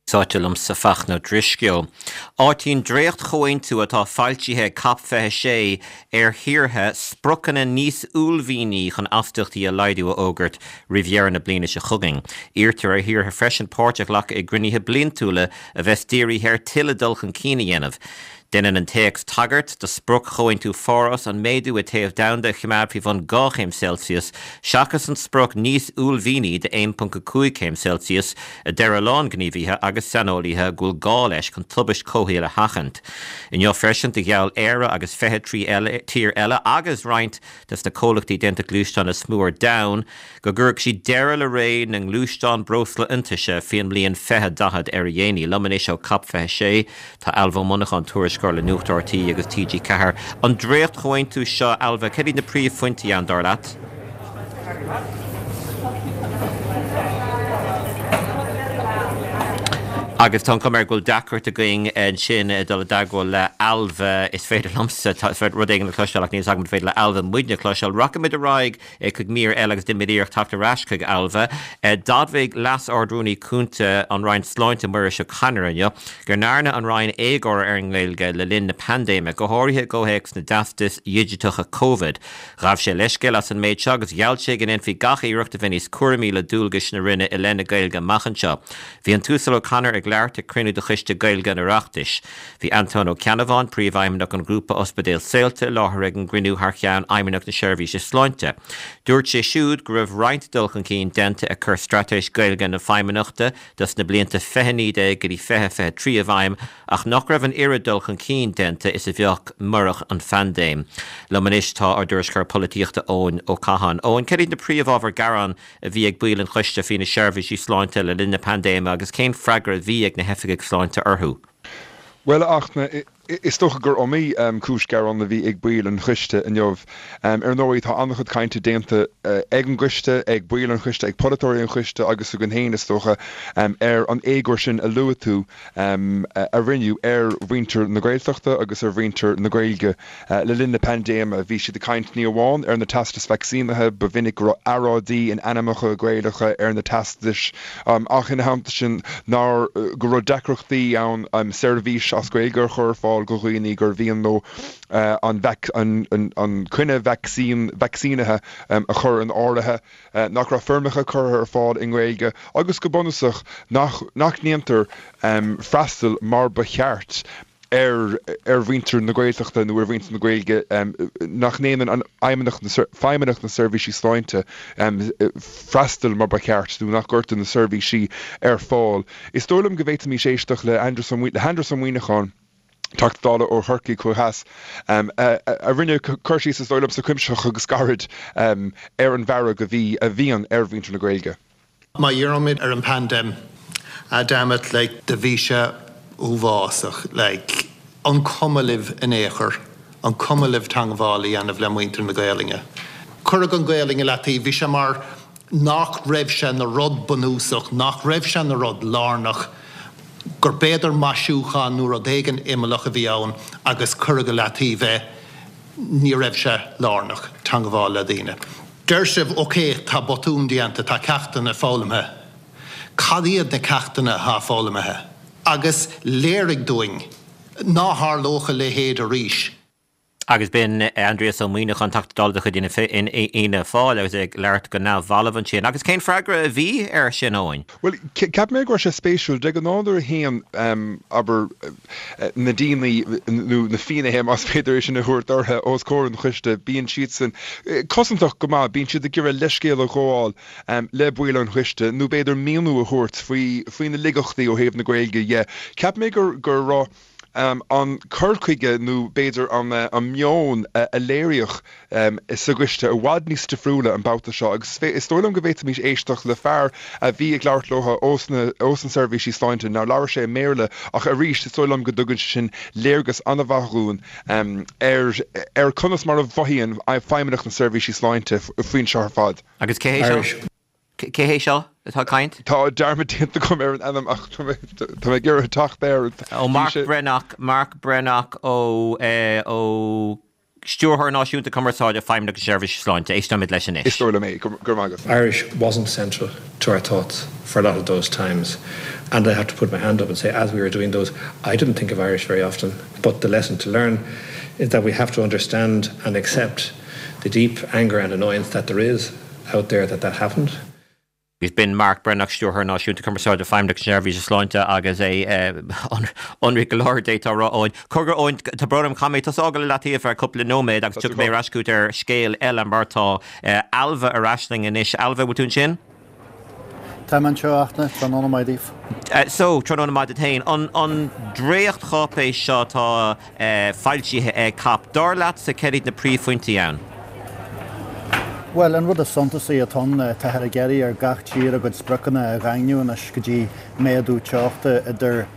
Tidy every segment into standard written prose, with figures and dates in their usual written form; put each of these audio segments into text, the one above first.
Sáite liomsa Fachtna Ó Drisceoil. Áitíonn dréacht-chomhaontú atá foilsithe ag Cop 26 ar thíortha spriocanna níos uaillmhianaí chun astaíochtaí a laghdú a fhógairt roimh dheireadh na bliana seo chugainn. Iarrtar ar thíortha freisin páirt a ghlacadh i gcruinnithe bliantúla a bheas dírithe ar tuilleadh dul chun cinn a dhéanamh. Déanann an téacs tagairt do sprioc Chomhaontú Pháras, an méadú i téamh domhanda a choimeád faoi bhun 2 chéim Celsius, seachas an sprioc níos uaillmhianaí de 1.5 céim Celsius, a deir a lán gníomhaithe agus saineolaithe go bhfuil gá leis chun tubaist comhshaoil a sheachaint. Inniu freisin do gheall Éire agus 23 eile tír eile agus roinnt des na comhlachtaí déanta gluaisteán is mó ar domhan, go gcuirfidh siad deireadh le ré na ngluaisteán breosla iontaise faoin mbliain 2040 ar a dhéanaí. Liom anois ó Cop 26 tá Ailbhe Ó Monacháin, tuairisceoir le Nuacht RTÉ agus TG4. An dréacht-chomhaontú seo, Ailbhe, cad iad na príomhphointí ann, dar leat? Agus tá an chuma air go bhfuil deacracht againn ansin dul i dteagmháil le Ailbhe. Is féidir liomsa rud éigin a chloisteáil ach níl a fhios agam an féidir le Ailbhe muidne a chloisteáil. Rachaimid ar aghaidh chuig mír eile agus déanfaimid iarracht teacht ar ais chuig Ailbhe. D'admhaigh Leas-Ard-Rúnaí Cúnta an Roinn Sláinte, Muiris O'Connor inniu go ndearna an Roinn éagóir ar an nGaeilge le linn na paindéime, go háirithe i gcomhthéacs na dteastas dhigiteacha Covid. Ghabh sé leithscéal as an méid seo agus gheall sé go ndéanfaí gach iarracht a bheith níos cúramaí le dualgais na Roinne i leith na Gaeilge amach anseo. Bhí an tUasal O'Connor ag labhairt ag cruinniú de Choiste Gaeilge an Oireachtais. Bhí Antóin Ó Ceannabháin, Príomhfheidhmeannach an Ghrúpa Ospidéal Saolta i láthair ag an gcruinniú thar cheann Fheidhmeannacht na Seirbhíse Sláinte. Dúirt sé siúd go raibh roinnt dul chun cinn déanta ag cur Straitéis Gaeilge na Feidhmeannachta dos na blianta 2019 go dtí 2023 i bhfeidhm ach nach raibh an oiread dul chun cinn déanta is a bheadh murach an phaindéim. Liom anois tá ár dtuairisceoir polaitíochta Eoin Ó Catháin. Eoin, cad iad na príomhábhair gearán a bhí ag baill an choiste faoi na seirbhísí sláinte le linn na paindéime agus cén freagra a bhí ag na hoifigigh sláinte orthu? Bhuel, a Fhachtna, is dócha gur iomaí cúis gearáin a bhí ag baill an choiste inniu. Ar ndóigh, tá an-chuid cainte déanta ag an gcoiste, ag baill an choiste, ag polaiteoirí an choiste agus againn féin, is dócha, ar an éagóir sin a luaigh tú a rinneadh ar mhuintir na Gaeltachta agus ar mhuintir na Gaeilge le linn na paindéime. Bhí siad ag caint ní amháin ar na teastais vacsaínithe, ba mhinic go raibh earráidí in ainmneacha Gaelacha ar na teastais, ach ina theannta sin nár, go raibh deacrachtaí ann seirbhís as Gaeilge a chur ar fáil do dhaoine gur mhian leo an an coinne vacsaín, vacsaínithe a chur in áirithe, nach raibh foirmeacha curtha ar fáil i nGaeilge agus go bunúsach nach nach ndéantar freastal mar ba cheart ar ar mhuintir na Gaeltachta nó ar mhuintir na Gaeilge nach ndéanann an Fheidhmeannacht na Feidhmeannacht na Seirbhísí Sláinte freastal mar ba cheart nó nach gcuirtear na seirbhísí ar fáil. Is dóigh liom go bhféadfaimis éisteacht le hAindrias le hAindrias Ó Muimhneacháin, Teachta Dála ó Chorcaigh ó Theas, a rinne cur síos is dóigh liomsa cuimsitheach agus gairid ar an bhfearg a bhí a bhíonn ar mhuintir na Gaeilge. Má dhírímid ar an paindéim, ah damn it, like, do bhí sé uafásach, like, an cuma libh in aon chor, an cuma libh teangmháil a dhéanamh le muintir na Gaelainne? Cuireadh an Ghaelainn i leataobh, bhí sé mar nach raibh sé ina rud bunúsach, nach raibh sé ina rud lárnach, gur b'fhéidir maisiúchán nó rud éigin imeallach a bhí ann agus cuireadh i leataobh é. Ní raibh sé lárnach, teangmháil le daoine. Deir sibh, ok, tá botún déanta, tá ceachtanna foghlamtha. Cad iad na ceachtanna atá foghlamtha? Agus léirigh dúinn ná tharlódh a leithéid arís. Agus b'in Aindrias Ó Muimhneacháin, Teachta Dála de chuid Fhianna Fáil, agus é ag labhairt go neamhbhalbh ansin. Agus cén freagra a bhí air sin, Eoin? Bhuel, cheap mé go raibh sé spéisiúil. De ghnáth nuair a théann, abair, na daoine, nó na finnéithe más féidir é sin a thabhairt orthu, os comhair an choiste, bíonn siadsan cosantach go maith, bíonn siad ag iarraidh leithscéal a ghabháil le baill an choiste, nó b'fhéidir míniú a thabhairt faoi, faoi na laigeachtaí ó thaobh na Gaeilge dhe. Cheap mé gur, go raibh an cur chuige nó b'fhéidir an meon a léiríodh sa gcoiste i bhfad níos difriúla an babhta seo agus is dóigh liom go bhféadfaimis éisteacht le fear a bhí ag labhairt leo ós na seirbhísí sláinte, nár labhair sé i mBéarla ach arís is dóigh liom go dtugann sé sin léargas an-mhaith dhúinn ar ar conas mar a mhothaíonn Feidhmeannacht na Seirbhísí Sláinte faoin seo ar fad. Agus cé hé seo? Cé hé seo atá ag caint? Tá dearmad déanta agam ar an ainm ach tá mé tá mé ag iarraidh teacht air. Ó Mark Breathnach, Mark Breathnach ó ó Stiúrthóir Náisiúnta Cumarsáide Feidhmeannacht na Seirbhíse Sláinte. Éisteoimid leis anois. Is dóigh liom é. Go raibh maith agat. Irish wasn't central to our thoughts for a lot of those times. And I have to put my hand up and say, as we were doing those, I didn't think of Irish very often. But the lesson to learn is that we have to understand and accept the deep anger and annoyance that there is out there that that happened. Agus b'in Mark Breathnach, Stiúrthóir Náisiúnta Cumarsáide Feidhmeannacht na Seirbhíse Sláinte agus é ionraic go leor d'fhéadfá a rá, Eoin. Cogar Eoin, tá brón orm, caithfidh mé tusa a fhágáil i leataobh ar cúpla nóiméad agus tiocfaidh mé ar ais chugat ar scéal eile mar tá Ailbhe ar ais linn anois. Ailbhe, bhfuil tú ansin? Tá mé anseo, a Fhachtna. Tráthnóna maith daoibh. So, tráthnóna maith duit féin. An dréachtcháipéis seo atá foilsithe ag COP, dar leatsa, céard iad na príomhphointí ann? Bhuel, an rud is suntasaí atá ann, táthar ag iarraidh ar gach tír a gcuid spriocanna a dhaingniú anois go dtí méadú teochta idir,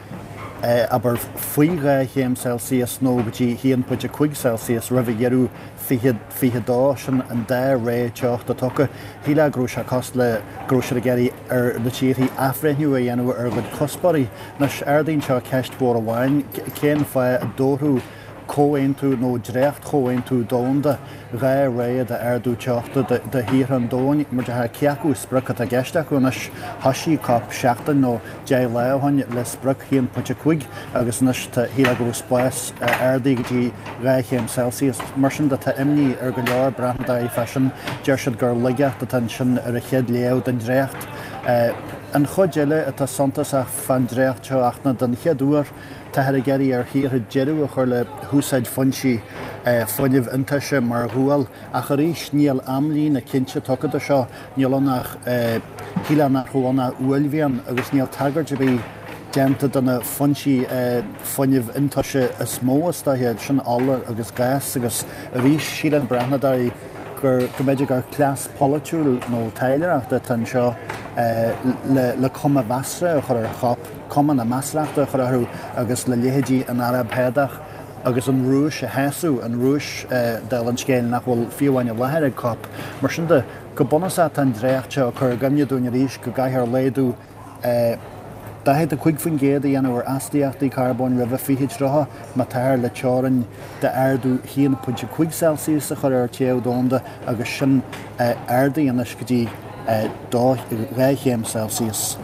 abair, faoi 2 chéim Celsius nó go dtí 1.5 Celsius roimh dheireadh 2022, sin an dá ré teochta tugtha. Shílfeá go raibh sé cosúil le go raibh siad ag iarraidh ar na tíorthaí athbhreithniú a dhéanamh ar a gcuid cuspóirí. Anois, ardaíonn seo ceist mhór amháin, cén fáth a dtabharfadh comhaontú nó dréacht-chomhaontú domhanda 2 ré d'ardú teochta do thíortha an domhain? Mar a déarfá, cé acu sprioc atá i gceist acu anois? Thoisigh COP seachtain nó 10 lá ó shin le sprioc 1.5 agus anois tá, shílfeá go raibh spás ardaithe go dtí 2 chéim Celsius. Mar sin de tá imní ar go leor breathnadóirí fá sin. Deir siad gur laigeacht atá ansin ar an chéad léamh den dréacht. An chuid eile atá suntasach fán dréacht seo ach ná den chéad uair táthar ag iarraidh ar thíortha deireadh a chur le húsáid foinsí fuinnimh iontaise mar ghual. Ach arís níl amlíne cinnte tugtha do seo. Níl ann ach, shílfeá nach raibh ann ach uaillmhian agus níl tagairt ar bith déanta do na foinsí fuinnimh iontaise is mó is dóiche, sin ola agus gás agus arís síleann breathnadóirí gur, go mb'fhéidir gur cleas polaitiúil nó taidhleoireachta atá anseo le le cuma mheasartha a chur ar COP, cuma na measarthachta a chur orthu agus le leithéidí an Araib Shádach agus an Rúis a shásamh, an Rúis, dála an scéil, nach bhfuil fiú amháin i láthair ag COP. Mar sin de, go bunúsach tá an dréacht seo ag cur i gcuimhne dúinn arís go gcaithfear laghdú 45% a dhéanamh ar astaíochtaí carbóin roimhe 2030 má táthar le teorainn d'ardú 1.5 Celsius a chur ar téamh domhanda agus sin ardaithe anois go dtí 2 chéim Celsius.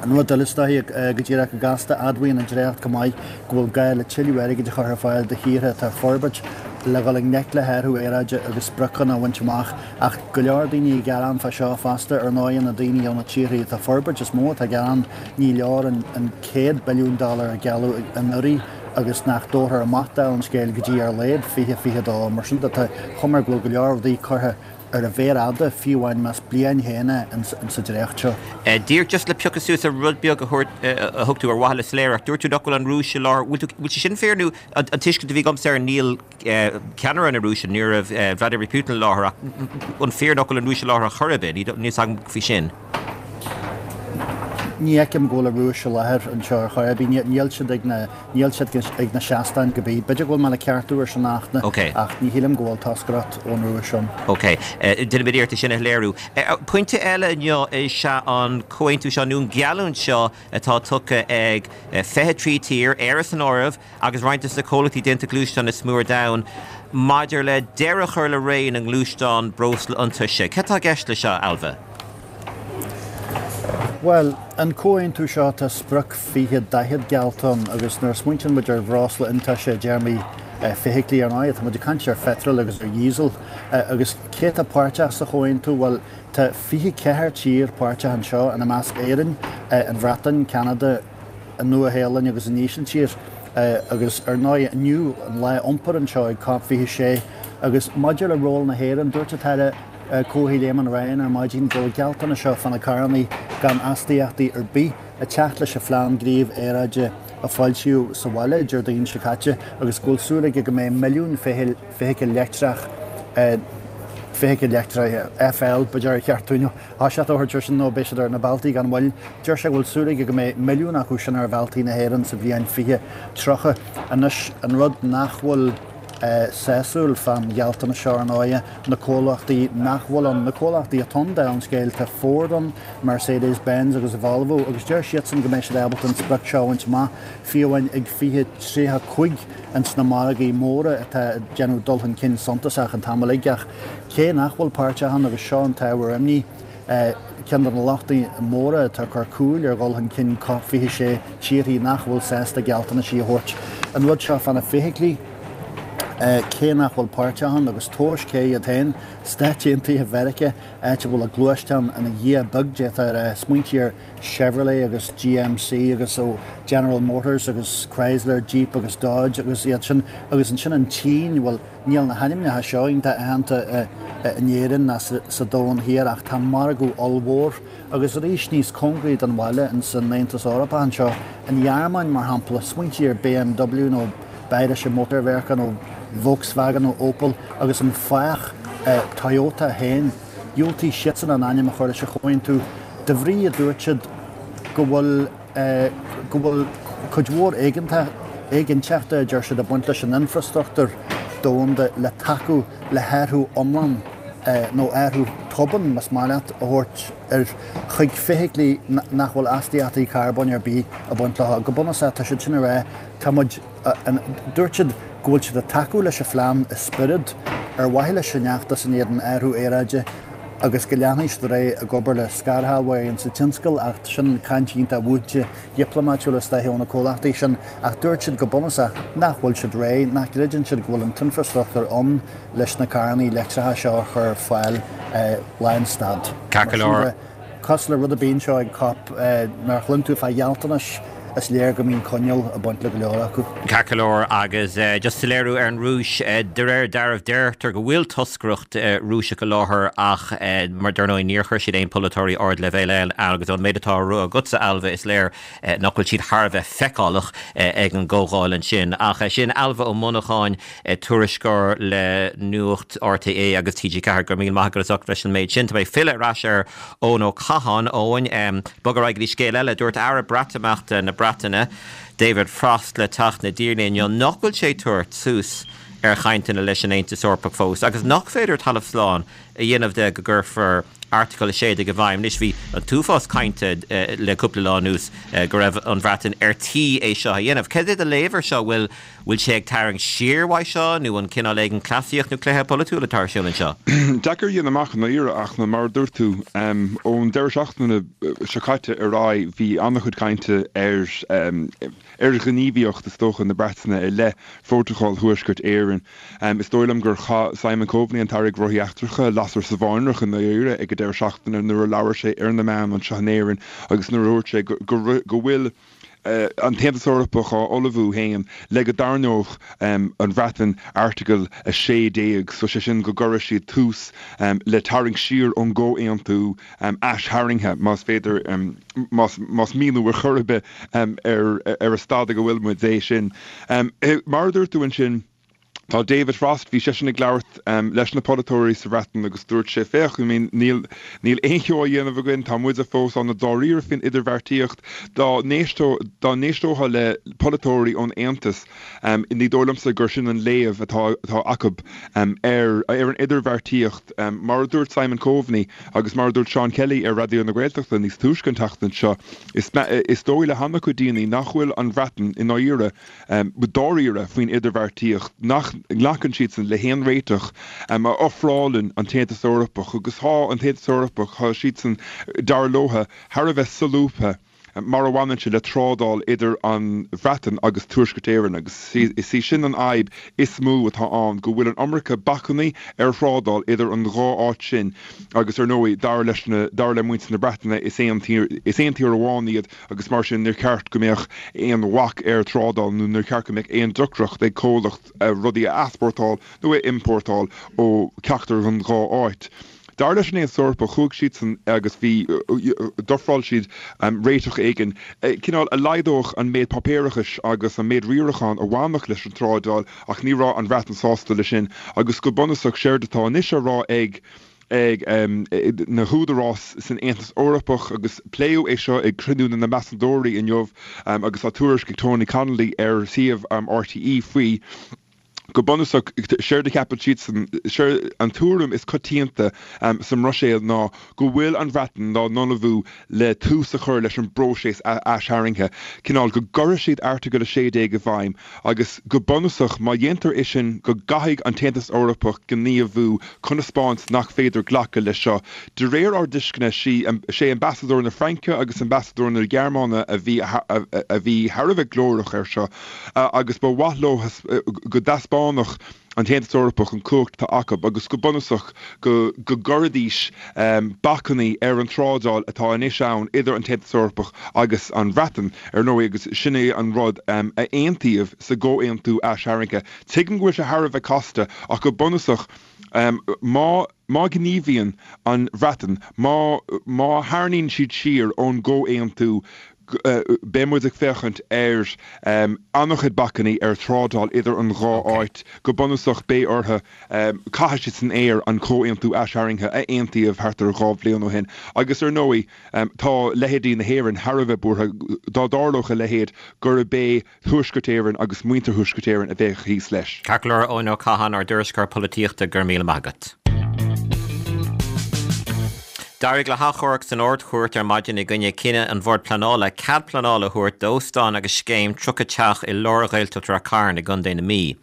An rud eile is dóiche, go díreach go gasta, admhaíonn an dréacht go maith go bhfuil gá le tuilleadh airgid a chur ar fáil do thíortha atá ag forbairt le dhul i ngleic le hathrú aeráide agus spriocanna a bhaint amach. Ach go leor daoine ag gearán fá seo fosta, ar ndóigh, na daoine ó na tíortha atá ag forbairt is mó atá ag gearán, ní leor an $100 billiún a gealladh anuraidh agus nach dtabharfar amach dála an scéil go dtí ar a laghad 2022. Mar sin de, tá cuma air go bhfuil go leor rudaí curtha ar an mhéar fhada, fiú amháin más bliain féin é in sa dréacht seo. Díreach just le piocadh suas ar rud beag a thabhairt, a thug tú ar mhaithe le soiléireacht, dúirt tú nach bhfuil an Rúis i láthair, bhfuil tú, bhfuil sé sin fíor nó an tuiscint a bhí agamsa air níl ceannaire na Rúise, ní raibh Vladimir Putin i láthair ach an fíor nach bhfuil an Rúis i láthair ar chor ar bith, níl fhios agam faoi sin. Ní fheicim go bhfuil an Rúis i láthair anseo ar chor ar bith. Níl siad ag na, níl siad ag na seastáin go bith. B'fhéidir go bhfuil mé le ceartú ar sin a Fhachtna, ach ní shílim go bhfuil toscaireacht ón Rúis ann. Ok. Déanfaimid iarracht é sin a shoiléiriú. Pointe eile inniu is ea an comhaontú seo, nó an gheallúint seo atá tugtha ag 23 tír, Éire san áireamh, agus roinnt de na comhlachtaí déanta gluaisteán is mó ar domhan, maidir le deireadh a chur le ré na ngluaisteán breosla iontaise. Cad tá i gceist leis seo, Ailbhe? Bhuel, an comhaontú seo, tá sprioc 2040 geallta ann agus nuair a smaointíonn muid ar bhreosla iontaise i dtéarmaí feithiclí, ar ndóigh, tá muid ag caint ar pheitreal agus ar dhíosal. Agus cé atá páirteach sa chomhaontú? Bhuel, tá 24 tír páirteach anseo, ina measc Éirinn, an Bhreatain, Ceanada, an Nua-Shéalainn agus an Ísiltír. Agus ar ndóigh, inniu an lá iompair anseo ag Cop 26. Agus maidir le ról na hÉireann, dúirt an tAire Comhshaoil Éamon Ryan ar maidin go bhfuil an gealltanas seo fá na carrannaí gan astaíochtaí ar bith ag teacht leis an phlean gnímh aeráide a foilsíodh sa bhaile Déardaoin seo caite agus go bhfuil súil aige go mbeidh milliún feithicil leictreach feithicil leictreach, FL, b'fhéidir a cheartú nó toiseacht a thabhairt air sin nó beidh siad ar na bealtaí gan mhoill. Deir sé go bhfuil súil aige go mbeidh milliún acu sin ar bhealtaí na hÉireann sa bhliain 2030. Anois, an rud nach bhfuil sásúil fán ghealltanas seo, ar ndóighe, na comhlachtaí nach bhfuil ann, na comhlachtaí atá ann, dála an scéil, tá Ford ann, Mercedes Benz agus Volvo agus deir siadsan go mbeidh siad ábalta an sprioc seo a bhaint amach fiú amháin ag 2035 ins na margaí móra atá ag déanamh dul chun cinn suntasach an t-am uilig ach cé nach bhfuil páirteach ann agus seo an t-ábhar imní. Ceann de na lochtaí móra atá ag cur cúil ar dhul chun cinn Cop 26, tíorthaí nach bhfuil sásta gealltanaisí a thabhairt. An rud seo fá na feithiclí, cé nach bhfuil páirteach ann, agus tomhais cé iad féin, Stáit Aontaithe Mheiriceá, áit a bhfuil an gluaisteán ina dhia beag, d'fhéadfá a rá. Smaointigh ar Chevrolet agus GMC agus ó General Motors agus Chrysler, Jeep agus Dodge agus iad sin, agus ansin an tSín, bhuel, Níl na hainmneacha seo iontach aitheanta in Éirinn ná sa Domhan Thiar ach tá margadh ollmhór agus arís níos cóngaraí don bhaile in san Aontas Eorpach anseo. An Ghearmáin mar shampla, smaointigh ar BMW nó Bayerische Motorenwerke nó Volkswagen nó Opel agus an fathach Toyota féin. Dhiúltaigh siadsan a n-ainm a chur leis an chomhaontú de bhrí, a dúirt siad, go bhfuil. go bhfuil cuid mhór éiginnteachta, a deir siad, ag baint leis an infreastruchtúr domhanda le tacú le hathrú iomlán nó athrú tobann, más maith leat, a thabhairt ar chuig feithiclí nach bhfuil astaíochtaí carbóin ar bith ag baint leo. Go bunúsach, tá siad sin ag rá, tá muid, dúirt siad go bhfuil siad ag tacú leis an phlean i spiorad ar mhaithe leis an fheachtas in éadan athrú aeráide, agus go leanfaidh siad ar aghaidh ag obair le scairshealbhóirí insa tionscal ach sin caint iontach mhúinte dhioplómaitiúil is dóiche ó na comhlachtaí sin ach dúirt siad go bunúsach nach bhfuil siad réidh, nach gcreideann siad go bhfuil an t-infreastruchtúr ann leis na carrannaí leictreacha seo a chur ar fáil lánstad. Ceart go leor. Cosúil le rud ar bith anseo ag Cop, nuair a chluin tú fá ghealltanais, is léir go mbíonn coinníoll ag baint le go leor acu. Ceart go leor, agus just soiléiriú ar an Rúis, de réir dealraimh deirtear go bhfuil toscaireacht Rúiseach i láthair ach mar dar ndóigh níor chuir siad aon polaiteoirí ardleibhéil ann agus ón méid atá á rá agatsa, Ailbhe, is léir nach bhfuil siad thar a bheith feiceálach ag an gcomhdháil ansin. Ach sin Ailbhe Ó Monacháin, tuairisceoir le Nuacht RTÉ agus TG4. Go raibh míle maith agat as ucht leis an méid sin. Tá mé ag filleadh ar ais ar Eoin Ó Catháin. Eoin, bog ar aghaidh go dtí scéal eile. Dúirt Aire Breatimeachta na Breataine, David Frost le Teach na dTiarnaí inniu nach bhfuil sé ag tabhairt suas ar chainteanna leis an Aontas Eorpach fós agus nach féidir talamh slán a dhéanamh de go gcuirfear Airteagal 16 i bhfeidhm. Anois bhí an t-uafás cainte le cúpla lá anuas go raibh an Bhreatain ar tí é seo a dhéanamh. Cad é do léamh ar seo? Bhfuil Bhfuil sé ag tarraingt siar uaidh seo nó an cineál éigin cleasaíocht nó cluiche polaitiúil atá ar siúl anseo? Deacair a dhéanamh amach i ndáiríre ach mar a dúirt tú, ón deireadh seachtaine seo caite ar aghaidh bhí an-chuid cainte ar ar ghníomhaíocht is dócha na Breataine i leith Phrótacal Thuaisceart Éireann. Is dóigh liom gur chaith Simon Coveney, an tAire Gnóthaí Eachtracha, lasair sa bháinreach i ndáiríre ag an deireadh seachtaine nuair a labhair sé ar na meáin anseo in Éirinn agus nuair a dúirt sé go go bhfuil an tAontas Eorpach á ullmhú féin le go dtarraingeodh an Bhreatain Airteagal 16, so sé sin go gcuirfeadh siad tús le tarraingt siar ón gcomhaontú aistharraingthe, más féidir, más míniú ar chor ar bith ar an staid ag a bhfuil muid é sin. Mar a dúirt tú ansin, Tá David Frost, bhí seisean ag labhairt leis na polaiteoirí sa Bhreatain agus dúirt sé, féach, I mean, níl, níl aon cheo á dhéanamh againn, tá muide fós an-dáiríre faoin idirbheartaíocht. Dá n-éisteo, dá n-éisteofá le polaiteoirí ón Aontas, ní dóigh liomsa gur sin an léamh atá, atá acu ar, ar an idirbheartaíocht. Mar a dúirt Simon Coveney agus mar a dúirt Seán Kelly ar Raidió na Gaeltachta níos túisce an tseachtain seo, is, is dóigh le han-chuid daoine nach bhfuil an Bhreatain i ndáiríre, dáiríre faoin idirbheartaíocht, nach nglacann siadsan le haon réiteach a ofrálann an tAontas Eorpach agus tá an tAontas Eorpach, tá siadsan, dar leotha, thar a bheith solúbtha mar a bhaineann sé le trádáil idir an Bhreatain agus Tuaisceart Éireann agus is í sin an fhadhb is mó atá ann, go bhfuil an iomarca bacainní ar thrádáil idir an dhá áit sin agus ar ndóigh dar leis na, dar le muintir na Breataine is aon tír, is aon tír amháin iad. agus mar sin níor cheart go mbeadh aon bhac ar thrádáil nó níor cheart go mbeadh aon deacracht ag comhlacht rudaí a easpórtáil nó a iompórtáil ó cheachtar den dhá áit. Dar leis an Aontas Eorpach, chuaigh siadsan agus bhí, d'ofráil siad réiteach éigin, cineál a laghdódh an méid páipéarachais agus an méid riaracháin a bhainfeadh leis an trádáil ach ní raibh an Bhreatain sásta leis sin agus go bunúsach séard atá anois á rá ag ag na húdaráis san Aontas Eorpach agus pléadh é seo ag cruinniú na n-ambasadóirí inniu agus tá tuairisc ag Tony Connelly ar shuíomh RTÉ faoi. Go bunúsach, séard a cheapann siadsan, séard an tuairim is coitianta sa mBruiséil ná go bhfuil an Bhreatain dá n-ullmhú le tús a chur leis an bpróiseas aistarraingthe, cineál go gcuirfidh siad Airteagal 16 i bhfeidhm agus go bunúsach má dhéantar é sin go gcaithfidh an tAontas Eorpach gníomhú chun a 'spáint nach féidir glacadh leis seo. De réir ár dtuisceana, sé ambasadóir na Fraince agus ambasadóir na Gearmáine a bhí a bhí thar a bheith glórach air seo. agus ba mhaith leo go dtaispeánfadh an tAontas Eorpach an cumhacht atá acu agus go bunúsach go gcuirfidís bacainní ar an trádáil atá anois ann idir an tAontas Eorpach agus an Bhreatain, ar ndóigh, agus sin é an rud a aontaíodh sa gcomhaontú aistarraingthe. Tuigim go bhfuil sé thar a bheith casta ach go bunúsach má má ghníomhaíonn an Bhreatain, má má tharraingíonn siad siar ón gcomhaontú, beidh muid ag féachaint ar an-chuid bacainní ar thrádáil idir an dhá áit. Go bunúsach, beidh orthu, caithfidh siad san aer an comhaontú aistarraingthe a aontaíodh thart ar 2 bhliain ó shin. Agus ar ndóigh, tá leithéidí na hÉireann thar a bheith buartha, dá dtarlódh a leithéid, gurb é Tuaisceart Éireann agus muintir Thuaisceart Éireann a bheadh thíos leis. Ceart go leor, Eoin Ó Catháin, ár dtuairisceoir polaitíochta, go raibh míle maith agat. D'éirigh le hachomharc san Ard-Chúirt ar maidin i gcoinne cinneadh an Bhoird Pleanála cead pleanála a thabhairt d'óstán agus scéim 30 teach i lár Ghaeltacht Rath Cairn i gContae na Mí.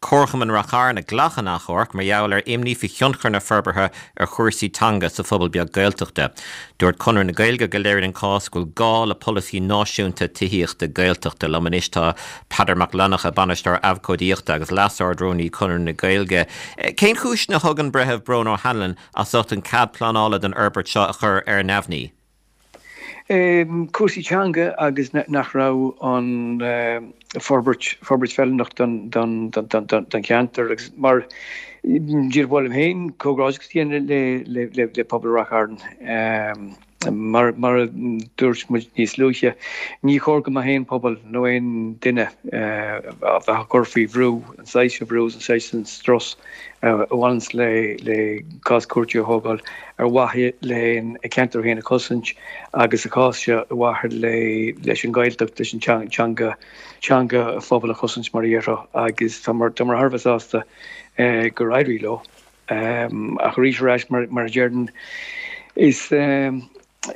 Comharchumann Rath Chairn a ghlac an achomharc mar gheall ar imní faoi thionchar na forbartha ar chúrsaí teanga sa phobal beag Gaeltachta. Dúirt Conradh na Gaeilge go léiríonn an cás go bhfuil gá le polasaí náisiúnta tithíochta Gaeltachta. Liom anois tá Peadar Mac Fhlannchadha, Bainisteoir Abhcóidíochta agus Leas-Ard-Rúnaí Conradh na Gaeilge. Cén chúis a thug an Breitheamh Brón O'Hanlon as ucht an cead pleanála don fhorbairt seo a chur ar neamhní? Cúrsaí teanga agus nach raibh an forbairt forbairt feiliúnach don don don cheantar agus mar díreach ba mhaith liom féin comhghairdeachas a dhéanamh le le le pobal Rath Chairn. Mar mar a dúirt muid níos luaithe, ní chóir go mbeadh aon pobal nó aon duine a bheith á gcur faoi bhrú, an saghas seo brú agus an saghas sin strus a bhaineanns le le cás cúirte a thógáil ar mhaithe le a ceantar féin a chosaint agus sa chás seo ar mhaithe le leis an Ghaeltacht, leis an teanga, teanga an phobail a chosaint mar a déarfá agus táimid thar a bheith sásta gur éirigh leo. Ach arís ar ais mar a déarfainn is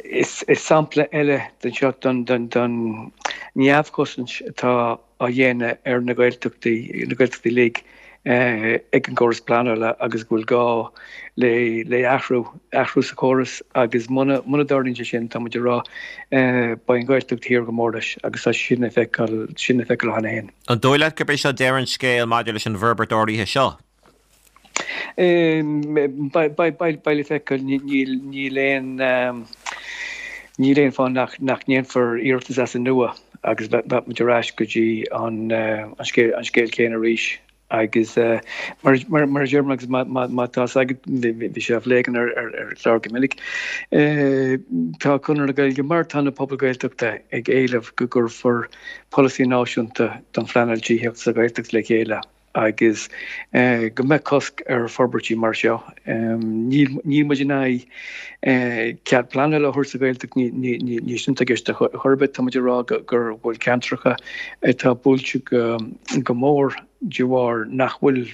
Is sampla eile den seo den neamhchosaint atá á dhéanamh ar na Gaeltachtaí, na Gaeltachtaí uilig, ag an gcóras pleanála agus go bhfuil gá le athrú, athrú sa chóras agus muna dtarlaíonn sé sin, tá muid ag rá, beidh an Ghaeltacht thiar go mór leis agus tá sin le feiceáil, sin le feiceáil cheana féin. An dóigh leat gurb é seo deireadh an scéil maidir leis an bhforbairt áirithe seo? Beidh le feiceáil. Níl aon níl aon fáth nach nach ndéanfar iarratas as an nua agus bheadh muid ar ais go dtí an scéal an scéal céanna arís. Agus mar mar a deir agus má tá fhios agat bhí sé á phlé againn ar ar ar chlár go minic. Tá Conradh na Gaeilge mar tá na pobail Gaeltachta ag éileamh go gcuirfear polasaí náisiúnta don phleanáil tithíochta sa Ghaeltacht le chéile. agus go mbeadh cosc ar forbairtí mar seo. Níl muid in aghaidh cead pleanála a thabhairt sa Ghaeltacht, ní sin atá i gceist ar chor ar bith. Tá muid ag rá go bhfuil ceantracha atá buailte go mór de bharr nach bhfuil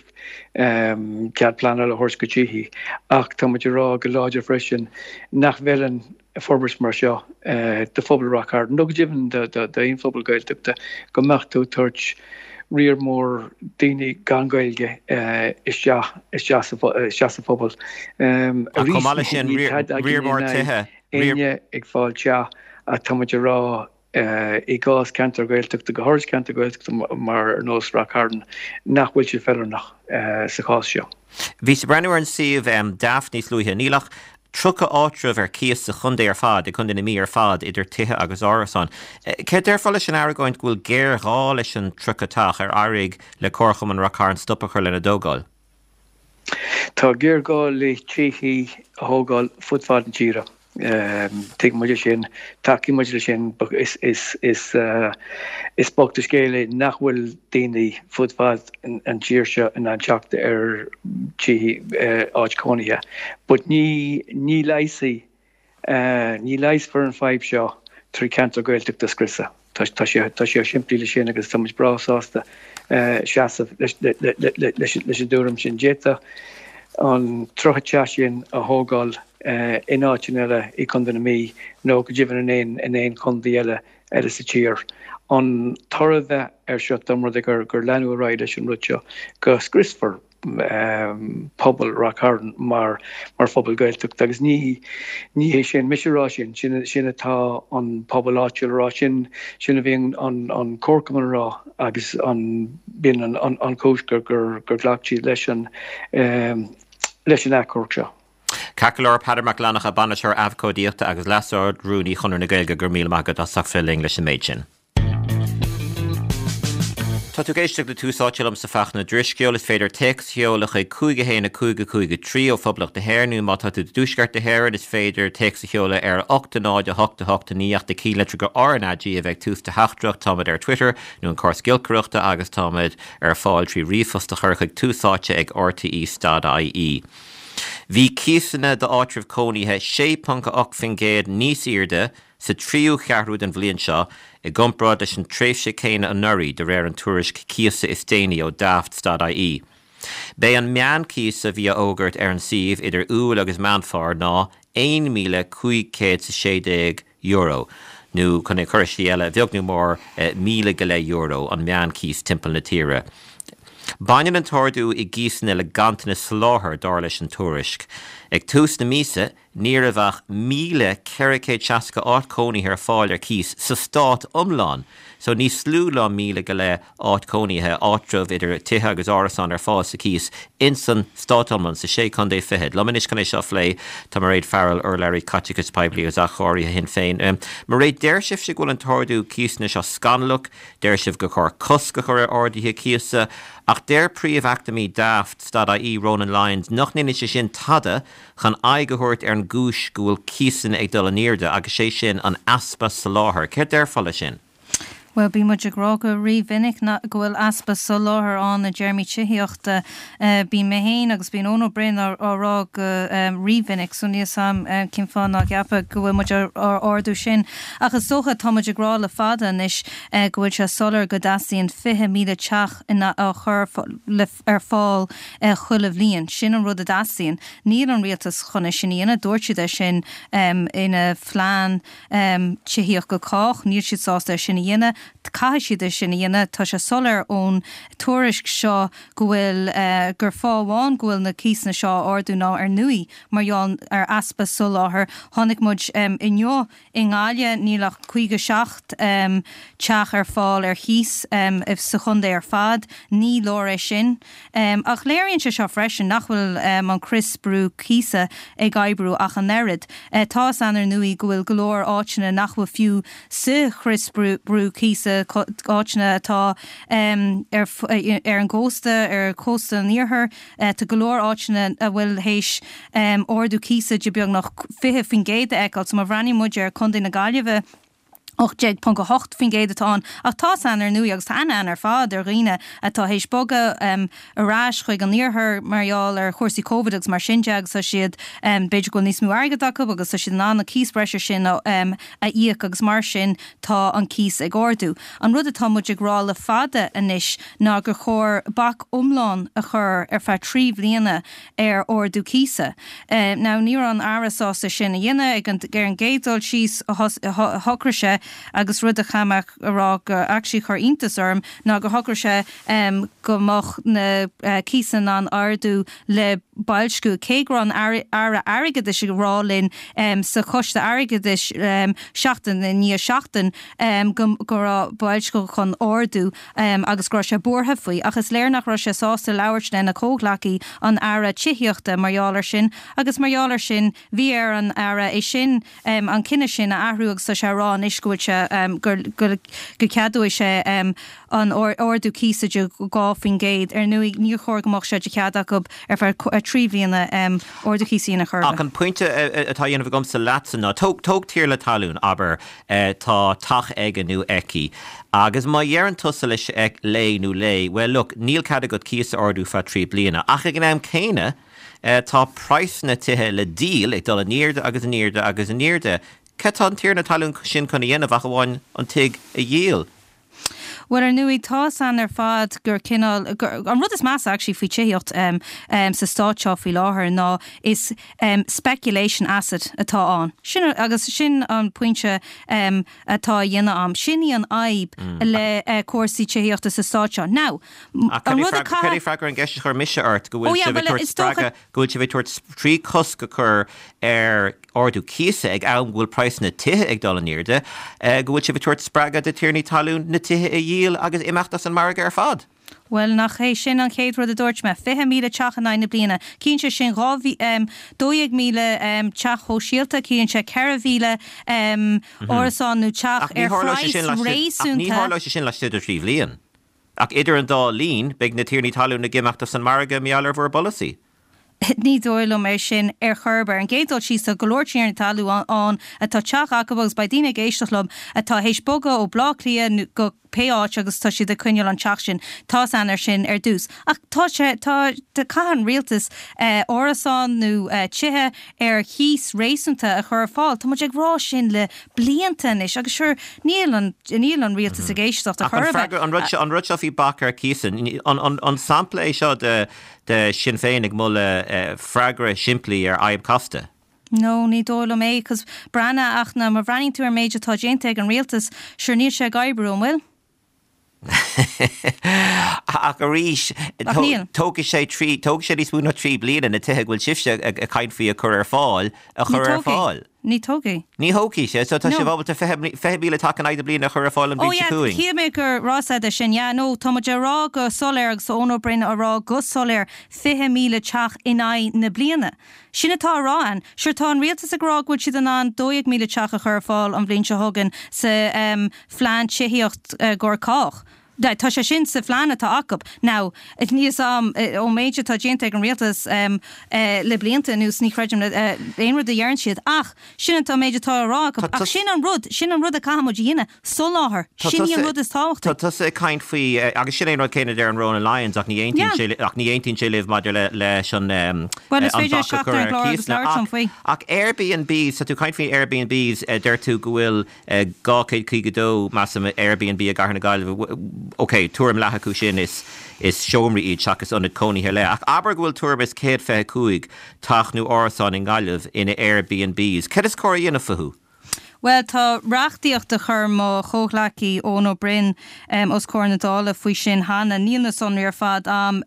cead pleanála a thabhairt go tithí ach tá muid ag rá go láidir freisin nach bhfeileann forbairt mar seo do phobal Rath Cairn, nó go deimhin d'aon phobal Gaeltachta, go mbeadh tú ag tabhairt riar mór daoine gan Gaeilge isteach isteach sa phobal. Ach chomh maith leis sin, riar mór tithe. Éinne ag fáil teach ach tá muid ag rá i gcás ceantar Gaeltachta, go háirid ceantar Gaeltachta mar ar nós Rath Cairn, nach bhfuil sé feiliúnach sa chás seo. Bhíos ag breathnú ar an suíomh Daft níos luaithe. Níl ach 30 áitreabh ar cíos sa chontae ar fad, i gContae na Mí ar fad, idir tithe agus árasáin. Céard déarfá leis an argóint go bhfuil géarghá leis an 30 teach ar éirigh le Comharchumann Rath Cairn stop a chur lena dtógáil? Tá géarghá le tithe a thógáil fud fad na tíre. Tuigeann muid é sin, tacaíonn muid leis sin. Is bocht an scéal é nach bhfuil daoine fud fad an tír seo in ann teacht ar tithe, áit cónaithe. But ní ní leigheasfaidh, ní leigheasfar an fadhb seo trí ceantar Gaeltachta a scriosadh. Tá sé tá sé chomh simplí le sin agus tá muid breá sásta. seasamh leis an dtuairim sin. D'fhéadfadh an 30 teach sin a thógáil in áiteanna eile i gContae na Mí nó go deimhin in aon chontae eile eile sa tír. An toradh a bheith air seo dá mba rud é gur leanadh ar aghaidh leis an rud seo go scriosfar pobal Ráth Cairn mar mar phobal Gaeltachta agus ní ní hé sin mise a rá sin, sin sin atá an pobal áitiúil a rá, sin sin a bhíonn an an comharchumann a rá agus an b'in an an an chúis gur gur gur ghlac siad leis an leis an achomharc seo. Ceart go leor, Peadar Mac Fhlannchadha, Bainisteoir Abhcóideachta agus Leas-Ard-Rúnaí Chonradh na Gaeilge, go raibh míle maith agat as ucht bheith linn leis an méid sin. Tá tú ag éisteacht le Tús Áite liomsa Fachtna Drisceoil. Is féidir téacs a sheoladh chuig 5 1 5 5 3 ó Phoblacht na hÉireann nó má tá tú i dTuaisceart na hÉireann is féidir téacs a sheoladh ar 8 0 8 8 9 ach do chinnlitir go RnaG a bheith ag tús do theachtaireacht. Táimid ar Twitter nó an córas giolcaireachta agus táimid ar fáil trí ríomhphost a chur chuig túsáite ag rte.ie. Bhí cíosanna d'áitribh cónaithe 6.8% níos airde sa tríú ceathrú den bhliain seo i gcomparáid leis an tréimhse céanna anuraidh, de réir an tuairisc cíosa is déanaí ó Daft.ie. B'é an meánchíos a bhí á fhógairt ar an suíomh idir Iúil agus Meán Fómhair ná €1,516, nó chun é a chur i slí eile, a bheag nó mór, míle go leith euro an meánchíos timpeall na tíre. Baineann an t-ardú i gcíosanna le ganntanas soláthair, dar leis an tuairisc. Ag tús na míosa, Ní raibh ach 1,460 áit cónaithe ar fáil ar cíos sa stát iomlán, so níos lú ná míle go leith áit cónaithe, áitreabh idir tithe agus árasáin ar fáil sa cíos ins an stát iomlán, sa sé contae fichead. Liom anois chun é seo a phlé tá Mairéad Farrell, urlabhraí caiteachais poiblí agus athchóirithe Shinn Féin. Mairéad, deir sibhse go bhfuil an t-ardú cíosanna seo scannalach, deir sibh gur chóir cosc a chur ar arduithe cíosa, ach deir príomh-eacnamaí Daft, stad-IE, Ronan Lyons, nach ndéanann sé sin tada chun aghaidh a thabhairt ar an gcúis go bhfuil cíosanna ag dul in airde, agus sé sin an easpa soláthair. Céard déarfá leis sin? Bhuel, bíonn muid ag rá go rímhinic go bhfuil easpa soláthair ann i dtéarmaí tithíochta. Bíonn mé féin agus bíonn Eoin Ó Broin á rá go rímhinic, so níl 's a'm cén fáth ná ceapfá go bhfuil muid á ardú sin. Ach is dócha, tá muid ag rá le fada anois go bhfuil sé soiléir go dteastaíonn 20,000 teach á chur le ar fáil chuile bhliain. Sin an rud a dteastaíonn. Níl an rialtas chun é sin a dhéanamh. Dúirt siad é sin ina phlean tithíocht go cách. Níl siad sásta é sin a dhéanamh. Caithfidh siad é sin a dhéanamh. Tá sé soiléir ón tuairisc seo go bhfuil, gur fáth amháin go bhfuil na cíosanna seo á ardú ná ar ndóigh mar gheall ar easpa soláthair. Chonaic muid inniu I nGaillimh, níl ach 57 teach ar fáil ar chíos sa chontae ar fad. Ní leor é sin. Ach léiríonn sé seo freisin nach bhfuil an crios brú cíosa ag oibriú ach an oiread. Tá 'fhios a'inn ar ndóigh go bhfuil go leor áiteanna nach bhfuil fiú sa chrios brú cíosa, áiteanna atá ar an gcósta, ar chósta an iarthair. Tá go leor áiteanna a bhfuil théis ardú cíosa de beagnach 20% a fheiceáil. So má bhreathnaíonn muid ar Chontae na Gaillimhe, 18.8% atá ann. Ach tá 'fhios a'inn ar ndóigh, agus tá aithne a'inn ar fad ar dhaoine atá théis bogadh ar ais chuig an iarthar mar gheall ar chúrsaí Covid agus mar sin de agus tá siad, b'fhéidir go bhfuil níos mó airgid acu agus tá siad in ann an cíos breise sin a íoc agus mar sin tá an cíos ag ardú. An rud atá muid ag rá le fada anois ná gur chóir bac iomlán a chur ar feadh 3 bhliana ar ardú cíosa. Now ní raibh an Aire sásta sin a dhéanamh ag an ar an gcéad dul síos shocraigh sé agus rud a chaithfidh mé a rá gur actually chuir iontas orm ná gur shocraigh sé go mbeadh na cíosanna in ann ardú le boilsciú cé go raibh an Aire Airgeadais ag rá linn sa Choiste Airgeadais seachtain i ndiaidh seachtain go raibh boilsciú chun ardú agus go raibh sé buartha faoi. Ach is léir nach raibh sé sásta labhairt lena chomhghleacaí, an Aire Tithíochta, mar gheall air sin agus mar gheall air sin bhí ar an Aire é sin, an cinneadh sin a athrú agus tá sé a rá anois go bhfuil sé, go, go ceadóidh sé an ardú cíosa de 2%. Ar ndóigh níor chóir go mbeadh sé de chead acu ar feadh 3 bhliana ardú cíosa a dhéanamh chor ar bith. Ach an pointe atá á dhéanamh agamsa leatsa ná, tóg, tóg tiarna talún, abair, tá teach aige nó aici, agus má dheireann tusa leis, léi nó léi, well look, níl cead agat cíos a ardú feadh 3 bliana, ach ag an am céanna tá praghsanna tithe le díol ag dul in airde agus in airde agus in airde. Cad tá an tiarna talún sin chun a dhéanamh ach amháin an tigh a dhíol? Bhuel, ar ndóigh, tá's a'inn ar fad gur cineál, gur, an rud is measa actually faoi tithíocht sa stát seo faoi láthair ná is speculation asset atá ann. Sin, agus sin an pointe atá á dhéanamh a'm. Sin í an fhadhb le cúrsaí tithíochta sa stát seo. Now, Ach an rud a caithfidh. Cad é freagra an gceist a chuir mise ort, go Oh bhfuil yeah, sibh ag bhuel, tabhairt is dócha. spreagadh, go bhfuil sibh ag tabhairt, trí cosc a chur ar ardú cíosa ag am go bhfuil praghsanna tithe ag dul in airde, go bhfuil sibh ag tabhairt spreagadh do tiarnaí talún na tithe a dhíol agus imeacht as an margadh ar fad? Bhuel, nach é sin an chéad rud a dúirt mé? 20,000 teach in aghaidh na bliana. Ciallaíonn sé sin 12,000 teach shóisialta, ciallaíonn sé 4,000 árasán nó teach Ach ní ar tharlóidh sé phraghas sin laistigh, ach ní réasúnta. tharlóidh sé sin laistigh de thrí bhliain. Ach idir an dá linn, beidh na tiarnaí talún ag imeacht as an margadh mar gheall ar bhur bpolasaí. Ní dóigh liom é sin ar chor ar bith. Ar an gcéad dul síos, tá go leor tiarnaí talún ann atá teach acu agus beidh daoine ag éisteacht liom atá théis bogadh ó Bleá Cliath go pé áit agus tá siad ag coinneáil an teach sin. Tá's a'inn ar sin ar dtús. Ach tá sé, tá, caithfidh an rialtas árasán nó tithe ar chíos réasúnta a chur ar fáil. Tá muid ag rá sin le blianta anois agus sure níl an, níl an rialtas ag éisteacht ar Ach an chor ar bith. freagra, an rud seo, an rud seo faoi bac ar cíosanna, an, an, an sampla é seo de, de Sinn Féin ag moladh freagra simplí ar fhadhb casta? No, ní dóigh liom é, 'cause breathnaigh, ach ná, má bhreathnaíonn tú ar an méid atá déanta ag an rialtas, sure níl sé ag oibriú, an bhfuil? Ach arís, Ach níl. tógfaidh sé trí, tógfaidh sé níos mó ná trí bliana na tithe go bhfuil sibhse ag caint faoi a chur ar fáil, a Ní chur ar tógfaidh. fáil. Ní tógfaidh. Ní thógfaidh sé, so tá No. sibh ábalta 20,000 teach in aghaidh na bliana a chur ar fáil an Oh bhliain seo yeah, chugainn. shíl mé gur raibh a fhios a'd é sin, yeah, no, tá muid ag rá go soiléir agus tá Eoin Ó Broin á rá go soiléir 20,000 teach in aghaidh na bliana. Sin atá á rá a'inn. Sure tá an rialtas ag rá go bhfuil siad in ann 12,000 teach a chur ar fáil an bhliain seo chugainn sa em phlean tithíocht i gcomhair cách. Tá sé sin sa phlean atá acu. Now, níl 'fhios a'm, ón méid atá déanta ag an rialtas le blianta anuas, ní chreidim aon rud a dheireann siad. Ach sin an méid atá á rá acu. Ach sin an rud, sin an rud a caithfidh muid a dhéanamh, soláthar. Sin í an rud is tábhachtaí. Tá tusa ag caint faoi, agus sin é an rud céanna a deir an Ronan Lyons, ach ní aontaíonn sé, ach ní aontaíonn sé libh maidir le, leis an, Bhuel, is an féidir bac a teacht chur ar an ar gclár agus cíosanna. labhairt liom faoi. Ach Airbnbs, tá tú ag caint faoi Airbnbs, deir tú go bhfuil, 252, measaim, Airbnb i gcathair na Gaillimhe. Ok, tuairim leath acu sin is seomraí iad seachas ionaid cónaithe ar leith. Ach abair go bhfuil tuairim is 125 teach nó árasán i nGaillimh ina Airbnbs. Céard is cóir a dhéanamh fúthu? Bhuel, tá reachtaíocht a chuir mo chomhghleacaí Eoin Ó Broin os comhair na Dála faoi sin cheana. Níl na sonraí ar fad a'm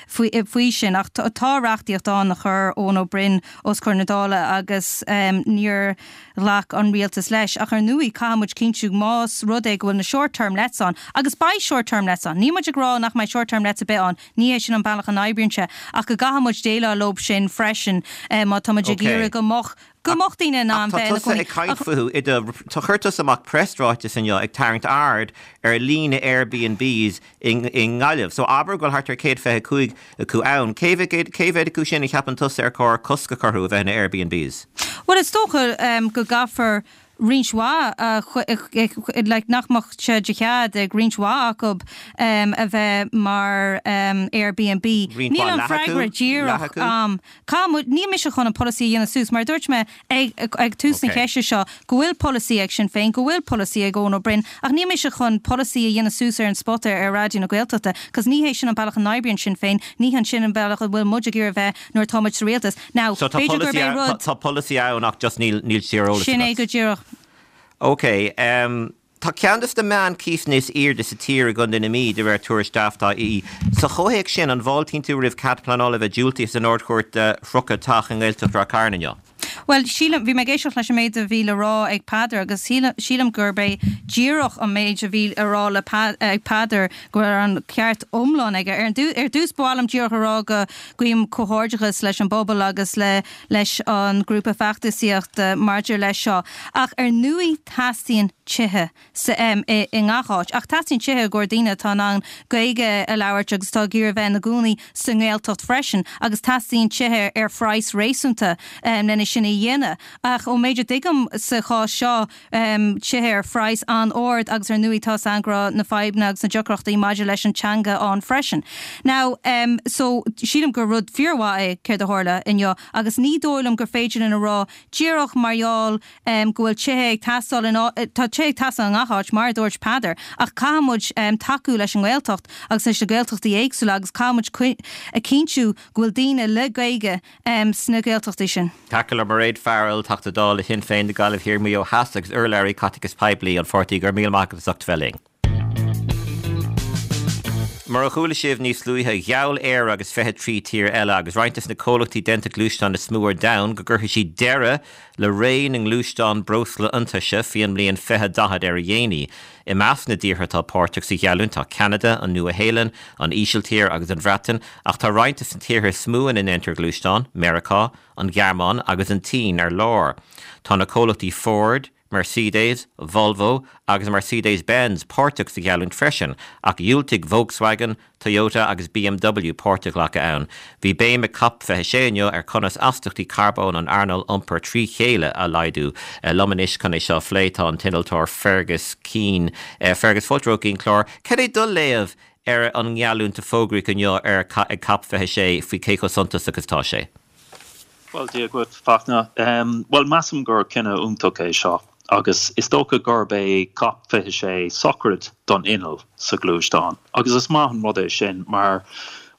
faoi sin ach tá reachtaíocht ann a chuir Eoin Ó Broin os comhair na Dála agus níor ghlac an rialtas leis. Ach ar ndóigh, caithfidh muid cinntiú más rud é go bhfuil na short term lets ann, agus beidh short term lets ann, níl muid ag rá nach mbeidh short term lets ar bith ann, ní hé sin an bealach a n-oibríonn sé, ach go gcaithfidh muid déileáil leo sin freisin má tá muid ag iarraidh go mbeadh, go mbeadh daoine in Ach ann tá bheith ina tusa gcónaí. ag caint fúthu i do, tá, chuir tusa amach preasráiteas inniu ag tarraingt aird ar líon na Airbnbs i nGaillimh. So abair go bhfuil thart ar 125 acu ann. Cé mhéad acu sin a cheapann tusa ar chóir cosc a chur orthu a bheith ina Airbnbs? Bhuel, is dócha go gcaithfear roinnt mhaith, like, nach mbeadh sé de chead ag roinnt mhaith acu a bheith mar Airbnb. Roinnt Níl mhaith, an leath acu? freagra Leath díreach acu? a'm. Caithfidh muid, níl mise chun an polasaí a dhéanamh suas, mar a dúirt mé ag ag tús na Ok. ceiste seo, go bhfuil polasaí ag Sinn Féin, go bhfuil polasaí ag Eoin Ó Broin, ach níl mise chun polasaí a dhéanamh suas ar an spota ar Raidió na Gaeltachta, 'cause ní hé sin an bealach a n-oibríonn Sinn Féin, ní hé sin an bealach a bhfuil muid ag iarraidh a bheith nuair atá muid sa rialtas. Now, So tá b'fhéidir gurb polasaí é ann, rud. tá polasaí ann ach just níl níl sé ar eolas Sin é agat. go díreach. Ok, em. Tá ceann de na meán-chíosanna is airde sa tír i gContae na Mí, de réir tuairisc Daft.ie. Sa chomhthéacs sin, an bhfáiltíonn tú roimh cead pleanála a bheith diúltaithe san Ard-Chúirt do 30 teach i nGaeltacht Ráth Cairn inniu? Bhuel, sílim, bhí mé ag éisteacht leis an méid a bhí le rá ag Peadar agus sílim gurb é díreach an méid a bhí a rá le ag Peadar go raibh an ceart iomlán aige. Ar ar dtús ba mhaith liom díreach a rá go guím comhghairdeachas leis an bpobal agus le leis an grúpa feachtasaíochta maidir leis seo. Ach ar ndóigh teastaíonn tithe sa i i ngach áit. Ach teastaíonn tithe i gcomhair daoine atá in ann Gaeilge a labhairt agus atá ag iarraidh bheith ina gcónaí sa nGaeltacht freisin. Agus teastaíonn tithe ar phraghas réasúnta lena sin a. a dhéanamh. Ach ón méid a dtuigim sa chás seo, tithe ar phraghas an-ard agus ar ndóigh tá 's againn go raibh na fadhbanna agus na deacrachtaí maidir leis an teanga ann freisin. Now, so sílim gur rud fíormhaith é céard a tharla inniu agus ní dóigh liom gur féidir linn a rá díreach mar gheall go bhfuil tithe ag teastáil in, tá tithe ag teastáil i ngach áit mar a dúirt Peadar ach caithfidh muid tacú leis an nGaeltacht agus leis na Gaeltachtaí éagsúla agus caithfidh muid a chinntiú go bhfuil daoine le Gaeilge sna Gaeltachtaí sin. Ceart go leor Mairéad Farrell, Teachta Dála Shinn Féin do Gaillimh Thiar Maigh Eo Theas agus urlabhraí Caiteachais Poiblí an pháirtí, go raibh míle maith agat as ucht a bheith linn. Mar a chuala sibh níos luaithe, gheall Éire agus 23 tír eile agus roinnt des na comhlachtaí déanta gluaisteán is mó ar domhan go gcuirfidh siad deireadh le ré na ngluaisteán breosla iontaise faoi an mbliain 2040 ar a dhéanaí. I measc na dtíortha atá páirteach sa gheallúint tá Ceanada, an Nua-Shéalainn, an Ísiltír agus an Bhreatain, ach tá roinnt des na tíortha is mó ina ndéantar gluaisteáin, Meiriceá, an Ghearmáin agus an tSín, ar lár. Tá na comhlachtaí Ford, Mercedes, Volvo agus Mercedes-Benz páirteach sa gheallúint freisin, ach dhiúltaigh Volkswagen, Toyota agus BMW páirt a ghlacadh ann. Bhí béim ag Cop 26 inniu ar conas astachtaí carbóin an earnáil iompair trí chéile a laghdú. Liom anois chun é seo a phlé tá an t-innealtóir Fergus Keane. Fergus, fáilte romhat go dtí an clár. Cad é do léamh ar an ngeallúint a fógraíodh inniu ar ag Cop 26 faoi cé chomh suntasach is atá sé? Bhuel, Dia dhuit, Fachtna. Bhuel, measaim gur cinneadh iontach é seo agus is dócha gurb é Cop 26 sochraid don inneall sa ghluaisteán. Agus is maith an rud é sin mar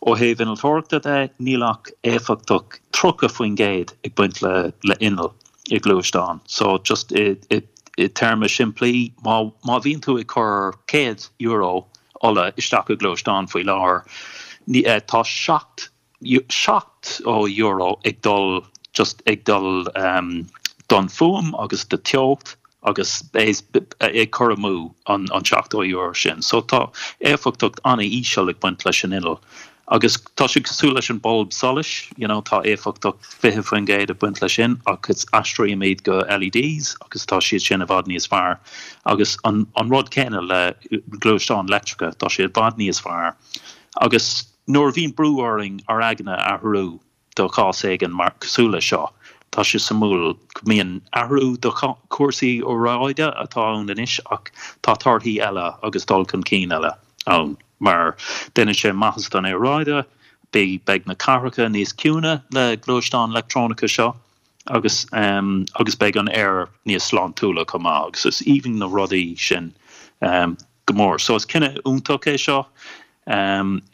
ó thaobh innealtóireachta de, níl ach éifeachtacht 30% ag baint le le inneall i gluaisteán. So just i i téarma simplí, má má bhíonn tú ag cur €100 ola isteach i gluaisteán faoi láthair, tá 7 €70 ag dul just ag dul don fuaim agus do teocht agus ag cur amú an €70 sin. So tá éifeachtacht an-íseal ag baint leis an inneall. Agus tá sé cosúil leis an bulb solais, you know, tá éifeachtacht 20% ag baint leis sin ach is aistrímid go LEDs agus tá siad sin i bhfad níos fearr. Agus an rud céanna le gluaisteáin leictreacha, tá sé i bhfad níos fearr. Agus Nuair a bhíonn brú orainn ár aigne a athrú do chás éigin mar cosúil le seo, tá sé suimiúil go mbíonn athrú do chúrsaí aeráide atá ann anois ach tá torthaí eile agus dul chun cinn eile ann mar déanann sé maitheas don aeráide, beidh na cathracha níos ciúine le gluaisteáin leictreonacha seo agus agus beidh an aer níos sláintiúla chomh maith agus is aoibhinn na rudaí sin. go mór. So is cinneadh iontach é seo.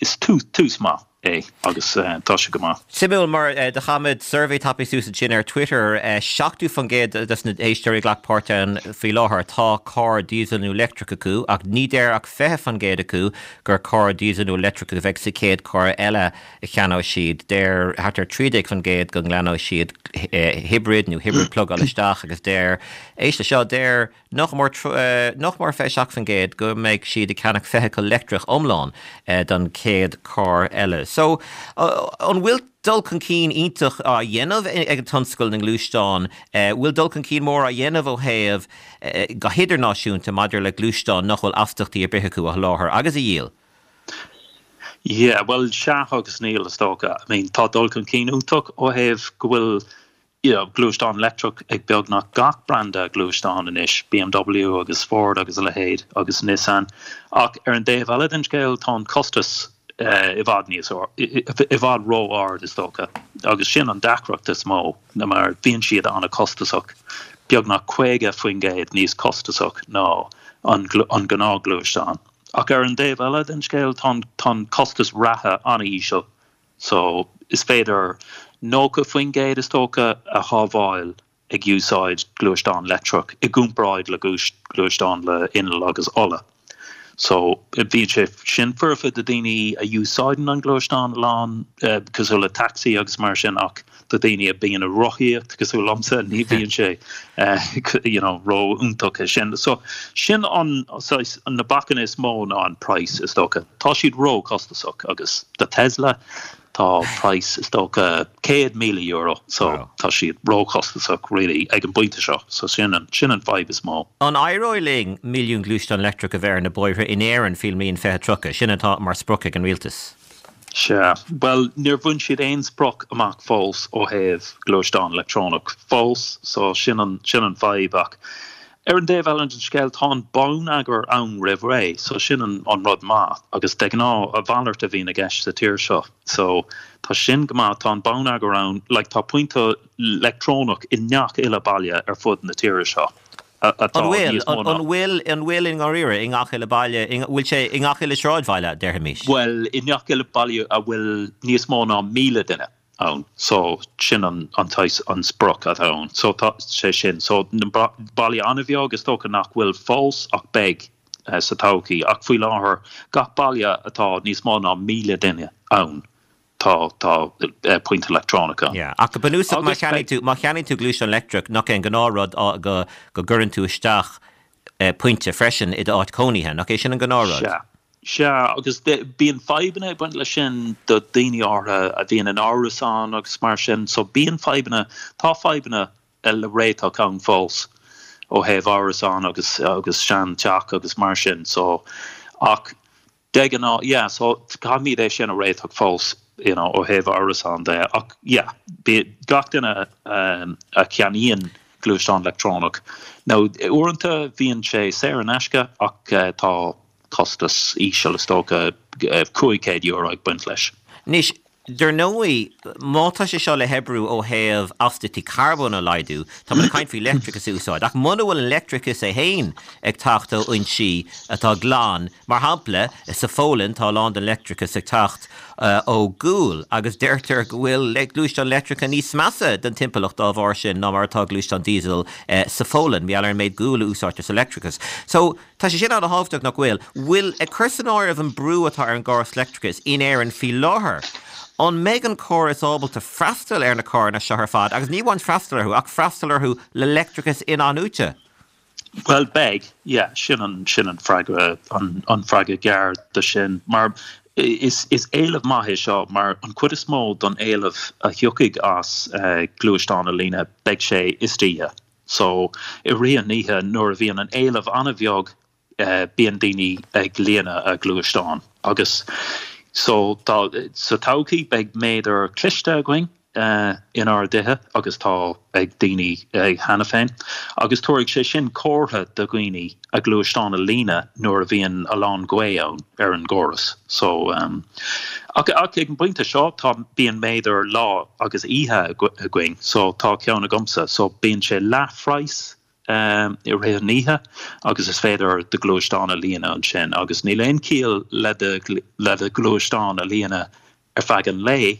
Is tús maith é agus tá sé go maith. Suimiúil mar do chaith muid suirbhé tapaidh suas ansin ar Twitter, 70% des na héisteoirí a ghlac páirt ann faoi láthair tá carr diesel nó leictreach acu ach ní deir ach 20% acu gur carr diesel nó leictreach a bheidh sa chéad carr eile a cheannóidh siad. Deir thart ar 13% go ngleanóidh siad hibrid nó hibrid plugáil isteach agus deir, éist le seo, deir Nach mór nach mór 27% go mbeidh siad ag ceannach feithicil leictreach iomlán don chéad carr eile. So, an bhfuil dul chun cinn iontach á dhéanamh ag an tionscal na ngluaisteán? Bhfuil dul chun cinn mór á dhéanamh ó thaobh go hidirnáisiúnta maidir le gluaisteáin nach bhfuil astachtaí ar bith acu a sholáthar agus a dhíol? Yeah, bhuel, sea agus níl, is dócha. I mean, tá dul chun cinn iontach ó thaobh go bhfuil you know, gluaisteán leictreach ag beagnach gach branda gluaisteán anois, BMW agus Ford agus a leithéid agus Nissan. Ach ar an dtaobh eile den scéal tá an costas i bhfad níos, i bhfad ró-ard is dócha agus sin an deacracht is mó mar bíonn siad an-chostasach, beagnach 50% níos costasach ná an an gnáthghluaisteán. Ach ar an dtaobh eile den scéal tá an costas reatha an-íseal So, is féidir 90% is dócha a shábháil ag úsáid gluaisteán leictreach i gcomparáid le gluaisteán le inneall agus ola. So, bíonn sé sin foirfe do daoine a úsáideann an gluaisteán a lán, cosúil le taxi agus mar sin ach do daoine a bíonn ag rothaíocht, cosúil liomsa, ní bhíonn sé you know ró-iontach é sin. So, sin an saghas, na bacanna is mó ná an price is dócha. Tá siad ró-chostasach agus do Tesla tá price is dócha €100,000 so tá siad ró-chostasach really ag an bpointe seo. So sin an, sin an fadhb is mó. An éireoidh linn milliún gluaisteán leictreach a bheith ar na bóithre in Éirinn faoin mbliain 2030? Sin atá mar sprioc ag an rialtas. Sea. Bhuel, níor bhain siad aon sprioc amach fós ó thaobh gluaisteán leictreonach fós, so sin an, sin an fadhb. Ach ar an dtaobh eile den scéal, tá an bonneagar ann roimh ré, so sin an, an rud maith. Agus de ghnáth, a mhalairt a bhíonn i gceist sa tír seo. So tá sin go maith, tá an bonneagar ann, like tá pointe leictreonach i ngach uile baile ar fud na tíre seo. atá níos mó ná. An bhfuil, an bhfuil i ndáiríre, i ngach uile baile, i bhfuil sé i ngach uile sráidbhaile, déarfaimis? Bhuel, i ngach uile baile a bhfuil níos mó ná 1,000 duine ann, so sin an, an saghas, an sprioc atá ann. So tá sé sin, so na baile an-bheag is dócha nach bhfuil fós ach beidh sa todhchaí ach faoi láthair gach baile atá níos mó ná 1,000 duine ann, Tá, tá pointe leictreonach ann. Yeah. Ach go bunúsach má cheannaíonn tú, má cheannaíonn tú gluaisteán leictreach, nach é an gnáthrud go, go gcuireann tú isteach pointe freisin i d'áit cónaithe, nach é sin an gnáthrud? Sea. Sea, agus bíonn fadhbanna ag baint leis sin do daoine áirithe a bhíonn in árasáin agus mar sin, so bíonn fadhbanna, tá fadhbanna le réiteach ann fós ó thaobh árasán agus, agus sean teach agus mar sin, so ach De ghnáth, yeah, so caithfimid é sin a réiteach fós, you know, ó thaobh árasán de, ach yeah, gach duine a cheannaíonn gluaisteán leictreonach, nó uaireanta bhíonn sé saor in aisce ach tá costas íseal, is dócha, €500 ag baint leis. Anois, Dar ndóigh, má tá sé seo le hoibriú ó thaobh astaíochtaí carbóin a laghdú, tá muid ag caint faoi leictreachas a úsáid, ach muna bhfuil an leictreachas é féin ag teacht ó fhoinsí atá glan, mar shampla, sa Pholainn tá a lán den leictreachas ag teacht ó ghual agus deirtear go bhfuil gluaisteáin leictreacha níos measa don timpeallacht dá bharr sin ná mar atá gluaisteáin diesel sa Pholainn, mar gheall ar an méid guail a úsáidtear sa leictreachas. So. Tá sé sin an-thábhachtach, nach bhfuil? Bhfuil, ag cur san áireamh an brú atá ar an gcóras leictreachais in Éirinn faoi láthair, an mbeidh an córas ábalta freastal ar na carranna seo ar fad, agus ní amháin freastal orthu, ach freastal orthu le leictreachas in-athnuaite? Bhuel, beidh, yeah, sin an, sin an freagra, an, an freagra gearr do sin. Mar is, is éileamh maith é seo, mar an chuid is mó don éileamh a thiocfaidh as gluaisteáin a líonadh, beidh sé istoíche. So, i rith an oíche nuair a bhíonn an éileamh an-bheag bíonn daoine ag líonadh a gluaisteán agus so tá sa todhchaí beidh méadar cliste againn inár dtithe agus tá ag daoine cheana féin agus tabharfaidh sé sin comhartha do dhaoine a gluaisteán a líonadh nuair a bhíonn a lán gaoth ann ar an gcóras. So, ach ach ag an bpointe seo tá, bíonn méadar lá agus oíche againn, so tá ceann agamsa, so bíonn sé leathphraghas i rith an oíche agus is féidir do ghluaisteán a líonadh ansin agus níl aon chiall le do le do ghluaisteán a líonadh ar feadh an lae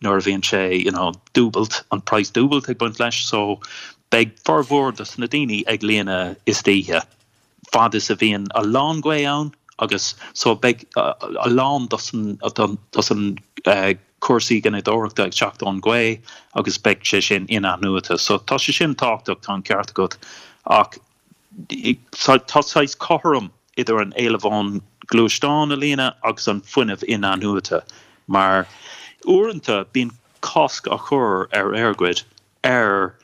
nuair a bhíonn sé you know dúbailt, an praghas dúbailt ag baint leis so beidh formhór dos na daoine ag líonadh istoíche fad is a bhíonn a lán gaoth ann agus so beidh a lán dos an dos an cúrsaí gineadóireachta ag teacht ón gaoth agus beidh sé sin in-athnuaite so tá sé sin tábhachtach tá an ceart agat ach tá saghas cothrom idir an éileamh ón gluaisteán a líonadh agus an fuinneamh in-athnuaite mar uaireanta bíonn cosc á chur ar EirGrid ar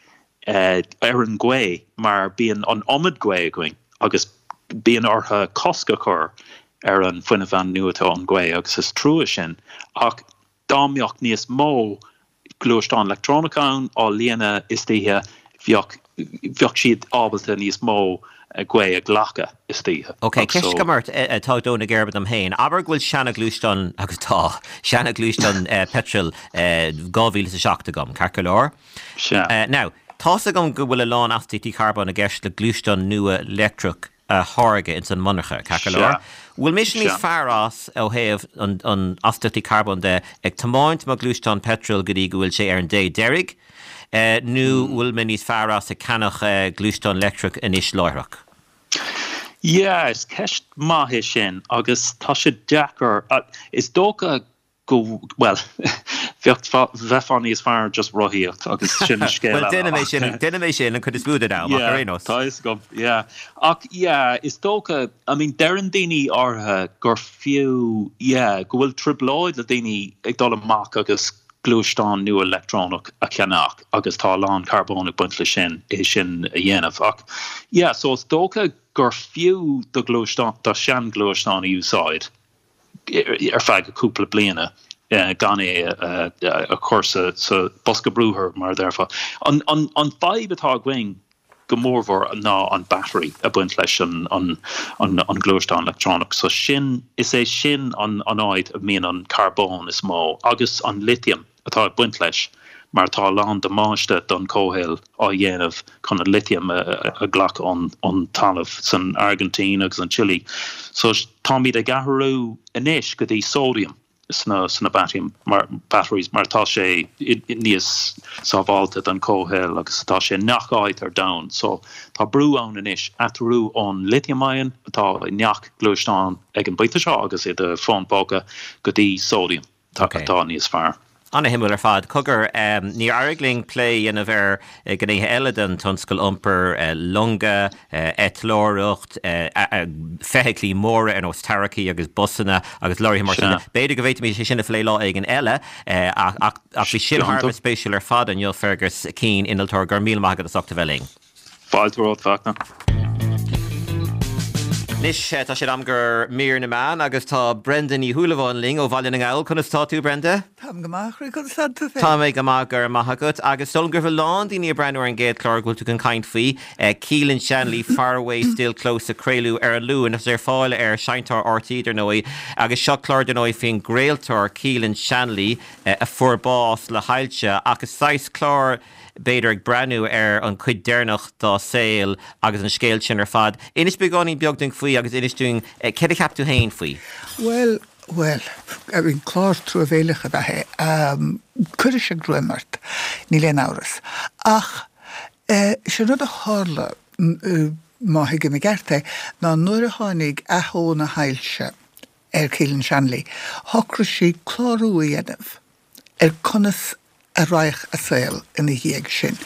ar an ghaoth mar bíonn an iomad gaoth againn agus bíonn orthu cosc a chur ar an fuinneamh athnuaite ón ghaoth agus is trua sin ach dá mbeadh níos mó gluaisteán leictreonach ann á líonadh istoíche bheadh bheadh siad ábalta níos mó gaoth a ghlacadh istoíche. Ok, ceist agam ort atá ag dó na geirbe dom féin. Abair go bhfuil seana-ghluaisteán, agus tá, seana-ghluaisteán peitril 2007 agam, ceart go leor? Sea. Now, tá's agam go bhfuil a lán astaíochtaí carbóin i gceist le gluaisteán nua leictreach a tháirgeadh ins an monarcha, ceart go leor? Bhfuil mise níos fearr as ó thaobh an an astaíochtaí carbóin de ag tiomáint mo ghluaisteán peitril go dtí go bhfuil sé ar an dé deiridh, nó bhfuil mé níos fearr as ag ceannach gluaisteán leictreach anois láithreach? Yeah, is ceist maith é sin agus tá sé deacair. Is dócha go, bhuel, bheadh, bheifeá níos fearr just rothaíocht agus sin scéal eile. Bhuel, déanaim é sin, déanaim é sin an chuid is mó den am, ach ar aon nós. Tá fhios agam, yeah. Ach yeah, is dócha, I mean, deireann daoine áirithe gur fiú, yeah, go bhfuil trioblóid le daoine ag dul amach agus gluaisteán nua leictreonach a cheannach agus tá a lán carbóin ag baint leis sin, é sin a dhéanamh. Ach yeah, so is dócha gur fiú do ghluaisteán, do shean-ghluaisteán a úsáid ar feadh cúpla bliana. Gan é a chur sa bosca brúthair, mar a déarfá. An fadhb atá againn go mórmhór ná an battery ag baint leis an ngluaisteán leictreonach. So sin, is é sin an áit a mbíonn an carbón is mó agus an lithium atá ag baint leis mar tá a lán damáiste don chomhshaol á dhéanamh chun an lithium a ghlacadh ón talamh san Airgintín agus an Chile. So táimid ag athrú anois go dtí sóidiam. sna sna batteries mar tá sé níos sábháilte don chomhshaol agus tá sé i ngach áit ar domhan so tá brú ann anois athrú ón lithium ion atá i ngach gluaisteán ag an bpointe seo agus i do fón póca go dtí sóidiam atá níos fearr. Ana-shuimiúil ar fad. Cogar, níor éirigh linn plé a dhéanamh ar ghnéithe eile den tionscal iompair, longa, eitleoireacht, feithiclí móra ar nós tarracaí agus busanna agus leoraithe mar sin. B'fhéidir go bhféadfaimis é sin a phlé lá éigin eile, ach bhí sin thar a bheith spéisiúil ar fad inniu, Fergus Keane, innealtóir, go raibh míle maith agat as ucht a bheith linn. Fáilte romhat, Fachtna. Anois tá sé in am do mhír na meán agus tá Brenda Ní Shúilleabháin linn ó Bhaile na nGall. Conas tá tú, Brenda? Táim go maith, a chroí, conas tá tú féin? Tá mé go maith, go raibh maith agat. Agus is dóigh liom go raibh a lán daoine ag breathnú ar an gcéad chlár go bhfuil tú chun caint faoi, Keelan Shanley, Far Away Still Close a craoladh ar an Luan agus ar fáil ar Seinnteoir RTÉ dar ndóigh. Agus seo clár dar ndóigh faoin gcraoltóir Keelan Shanley a fuair bás le hailse ach is saghas clár b'fhéidir ag breathnú ar an chuid deireanach dá saol agus an scéal sin ar fad. Inis beagáinín beag dúinn faoi agus inis dúinn céard a cheap tú féin faoi. Bhuel, bhuel, I mean, clár truamhéileach ab ea é. Cuirfidh sé greim ort, níl aon amhras. Ach sé an rud a tharla, má thuigim i gceart é, ná nuair a tháinig ató na hailse ar Keelan Shanley, shocraigh sí clárú a dhéanamh ar conas a raghadh a saol ina dhiaidh sin.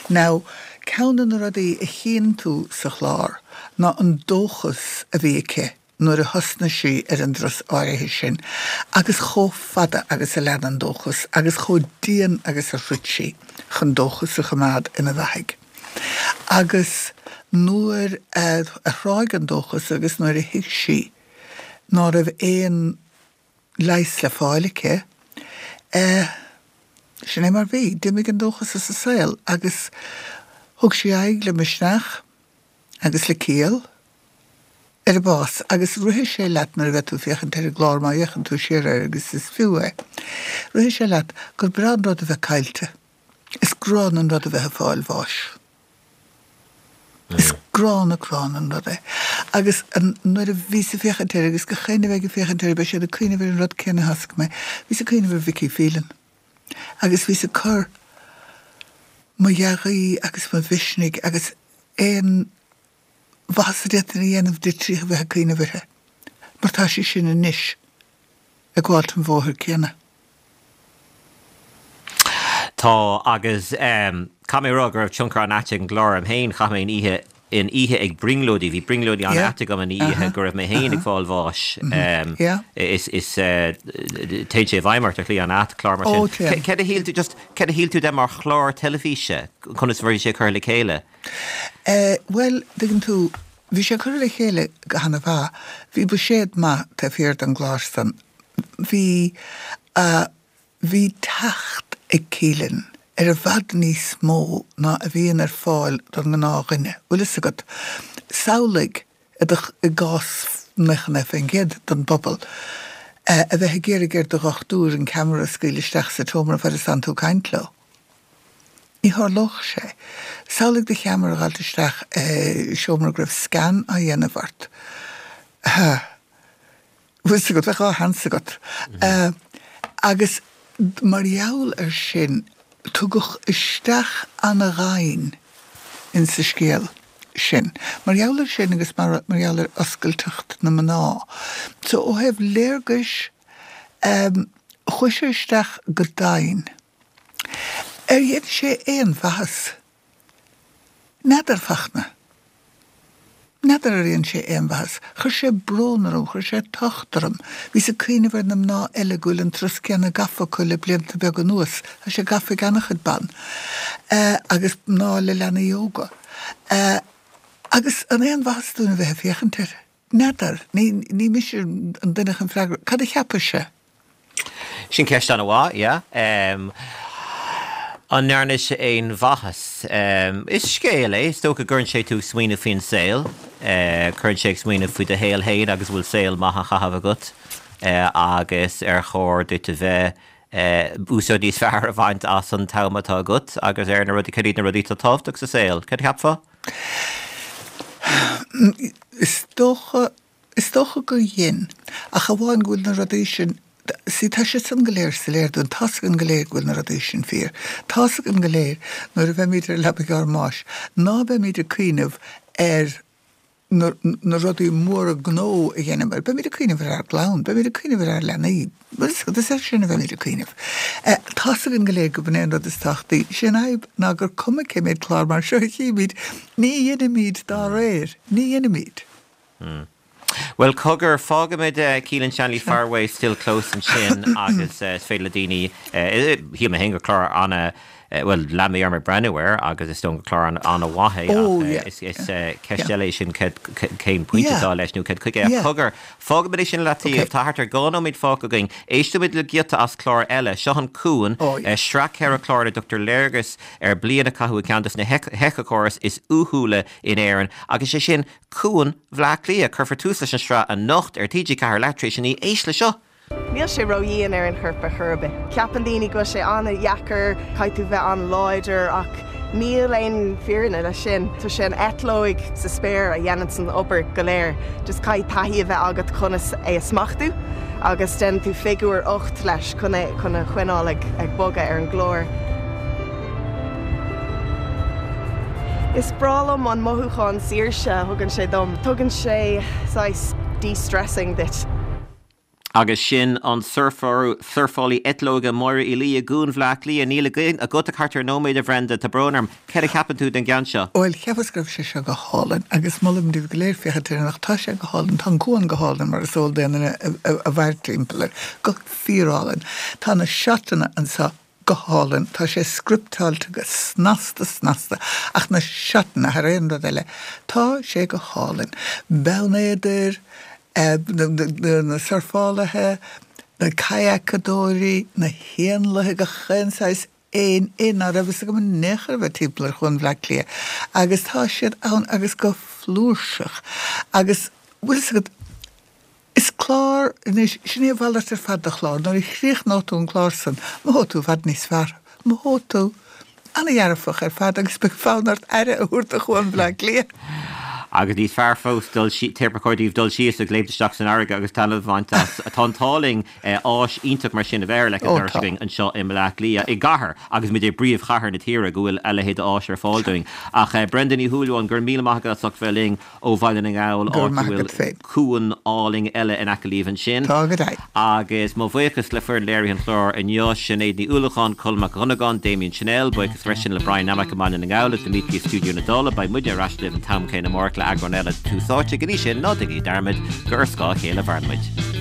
Now, ceann de na rudaí a chíonn tú sa chlár ná an dóchas a bhí aici nuair a thosnaigh sí ar an dturas áirithe sin agus chomh fada agus a lean an dóchas agus chomh dian agus a throid sí chun dóchas a choimeád ina bheathaidh. Agus nuair a thráigh an dóchas agus nuair a thuig sí ná raibh aon leigheas le fáil aici. Sin é mar bhí. D'imigh an dóchas as a saol agus thug sí aghaidh le misneach agus le ciall ar a bás agus rithfidh sé leat nuair a bheidh tú ag féachaint ar an gclár, má fhéachann tú siar air agus is fiú é, rithfidh sé leat gur breá an rud a bheith caillte. Is gránna an rud a bheith ag fáil bháis. Is gránna gránna an rud é. Agus nuair a bhíos ag féachaint air, agus gach éinne a bheidh ag féachaint air, beidh siad ag cuimhneamh ar an rud céanna a thosaigh mé, bhíos ag cuimhneamh ar Vicky Phelan. Agus bhíos ag cur mo dhea-ghuí agus mo mhisnigh agus aon mhaitheas a d'fhéadfainn a dhéanamh di trí a bheith ag cuimhneamh uirthi. Mar tá sí sin anois ag gabháilt an bhóthair céanna. Tá, agus caithfidh mé a rá go raibh tionchar an-ait ag an gclár orm féin. Chaith mé an oíche, an oíche ag brionglóidí, bhí brionglóidí an-ait agam an oíche go raibh mé féin ag fáil bháis. Is, is, téann sé i bhfeidhm ort ar shlí an-ait, clár mar sin. Céard a shíl tú, just, céard a shíl tú de mar chlár teilifíse? Conas a bhí sé curtha le chéile? Bhuel, tuigeann tú, bhí sé curtha le chéile go hana-mhaith. Bhí buiséad maith taobh thiar den gclár san. Bhí, bhí teacht ag Keelan ar i bhfad níos mó ná a bhíonn ar fáil don ngnáthdhuine, bhfuil fhios agat. Samhlaigh, i do, i gcás 99% den bpobal, a bheith ag iarraidh ar do dhochtúir an ceamara a scaoileadh isteach sa tseomra fad is tánn tú ag caint leo. Ní tharlódh sé. Samhlaigh do cheamara a dh'fháilt isteach i seomra go raibh scan á dhéanamh ort. Bhfuil fhios agat, bheadh dhá sheans agat. Agus mar gheall ar sin, tugadh isteach ana-dhoimhin insa scéal sin. Mar gheall ar sin agus mar gheall ar oscailteacht na mná. So ó thaobh léargais, chuaigh sé isteach go domhain. Ar dhein sé aon mhaitheas? N'fheadar, Fachtna. N'fheadar ar dhein sé aon mhaitheas. Chuir sé brón orm, chuir sé tocht orm. Bhíos ag cuimhneamh ar na mná eile go bhfuil an turas céanna gafa acu le blianta beaga anuas. Tá sé gafa ag an-chuid ban. Agus mná le leanaí óga. Agus an aon mhaitheas dúinn a bheith ag féachaint air? N'fheadar. Ní mise an duine chun freagra. Cad a cheapais-se? Sin ceist an-mhaith, yeah. An ndearna sé aon mhaitheas? Is scéal é, is dócha go gcuireann sé tú ag smaoineamh faoin saol. Cuireann sé ag smaoineamh faoi do shaol féin agus an bhfuil saol maith á chaitheamh agat agus ar chóir duit a bheith úsáid níos fearr a bhaint as an t-am atá agat agus ar na rudaí, cad iad na rudaí atá tábhachtach sa saol? Cad a cheapfá? Is dócha, is dócha gur dhein, ach amháin go bhfuil na rudaí sin, see tá siad san go léir soiléir dúinn, tá's againn go léir go bhfuil na rudaí sin fíor. Tá's againn go léir nuair a bheimid ar leabaidh ár mbáis ná beimid ag cuimhneamh ar na na rudaí móra gnó a dheineamar, beimid ag cuimhneamh ar ár gclann, beimid ag cuimhneamh ar ár leanaí, is air sin a bheimid ag cuimhneamh. Tá's againn go léir gurb in é an rud is tábhachtaí. Sé an fhadhb ná gur cuma cé méid clár mar seo a chímid, ní dheinimid dá réir, ní dheinimid. Bhuel, cogar, fágfaimid Keelan Shanley Faraway Still Close ansin agus is féidir le daoine, shíl mé féin gur clár ana, Bhuel, lean mé orm ag breathnú air agus is dóigh gur clár an-mhaith é ach is ceist eile é sin cén pointe atá leis nó cad chuige. Ach cogar, fágfaimid é sin i leataobh. Tá thart ar 2 nóiméad fágtha againn. Éistfimid le giota as clár eile. Seo An Cuan, sraith ceithre chlár ina dtugtar léargas ar bliain a caitheadh i gceann de na héiceachórais is uathúla in Éirinn agus sé sin Cuan Bhaile Átha Cliath. Cuirfear tús leis an sraith anocht ar TG4 leath tar éis a 9. Éist le seo! Níl sé ró-dhian ar an chorp ar chor ar bith. Ceapann daoine go bhfuil sé an-dheacair, caithfidh tú bheith an-láidir ach níl aon fírinne leis sin. Tá sé an eitleoig sa spéir a dhéananns an obair go léir. Just caithfidh taithí a bheith agat conas é a smachtú agus déanann tú figiúr 8 leis chun é chun a choinneáil ag ag bogadh ar an gclár. Is breá liom an mothúchán saoirse a thugann sé dom. Tugann sé saghas de-stressing duit. Agus sin an surfálaí eitleoige Máire Uí Laoi i gCuan Bhaile Átha Cliath. Níl agat ach thart ar nóiméad, a Bhrenda, tá brón orm. Céard a cheapann tú den gceann seo? Bhuel, cheapas go raibh sé seo go hálainn agus molaim daoibh go léir féachaint air anocht. Tá sé go hálainn. Tá an cuan go hálainn mar is eol d'aon duine a mhair timpeall air. Go fíorálainn. Tá na seotanna anseo go hálainn. Tá sé scripteáilte go snasta snasta ach na seotanna thar aon rud eile. Tá sé go hálainn. Beann Éadair, na surfálaithe, na kayakadóirí, na héanlaithe, gach aon saghas éin ná raibh fhios agam in aon chor a bheith timpeall ar Chuan Bhaile Átha Cliath agus tá siad ann agus go flúirseach agus bhfuil fhios agat, is clár anois, sin é a mhalairt ar fad de chlár, nuair a chríochnóidh tú an clár san, mothóidh tú i bhfad níos fearr, mothóidh tú. Ana-dhearfach ar fad agus beidh fonn ort aire a thabhairt do Chuan Bhaile Átha Cliath. Agus níos fearr fós, dul sí, ba chóir daoibh dul síos agus léimt isteach san fharraige agus taitneamh a bhaint as. Tá an t-ádh linn áis iontach mar sin a bheith ar leic an dorais againn anseo i mBaile Átha Cliath, i gcathair, agus muid i bpríomhchathair na tíre, go bhfuil a leithéid d'áis ar fáil dúinn. Ach Brenda Ní Shúilleabháin, go raibh míle maith agat as ucht bheith linn. ó Bhaile na nGall, Go áit raibh a maith bhfuil agat féin. cuan álainn eile in aice libh ansin. Tá go deimhin. Agus mo bhuíochas le foireann léirithe an chláir inniu, Sinéad Ní Uallacháin, Colm Mac Dhonnagáin, Damien Channel, buíochas freisin le Brian Nammock i mBaile na nGall agus Dimitri i Stiúideo na Dála. Beidh muidne ar ais libh an t-am céanna amárach le eagrán eile de Tús Áite. Go dtí sin, ná déanaigí dearmad gur ar scáth a chéile a mhaireann muid.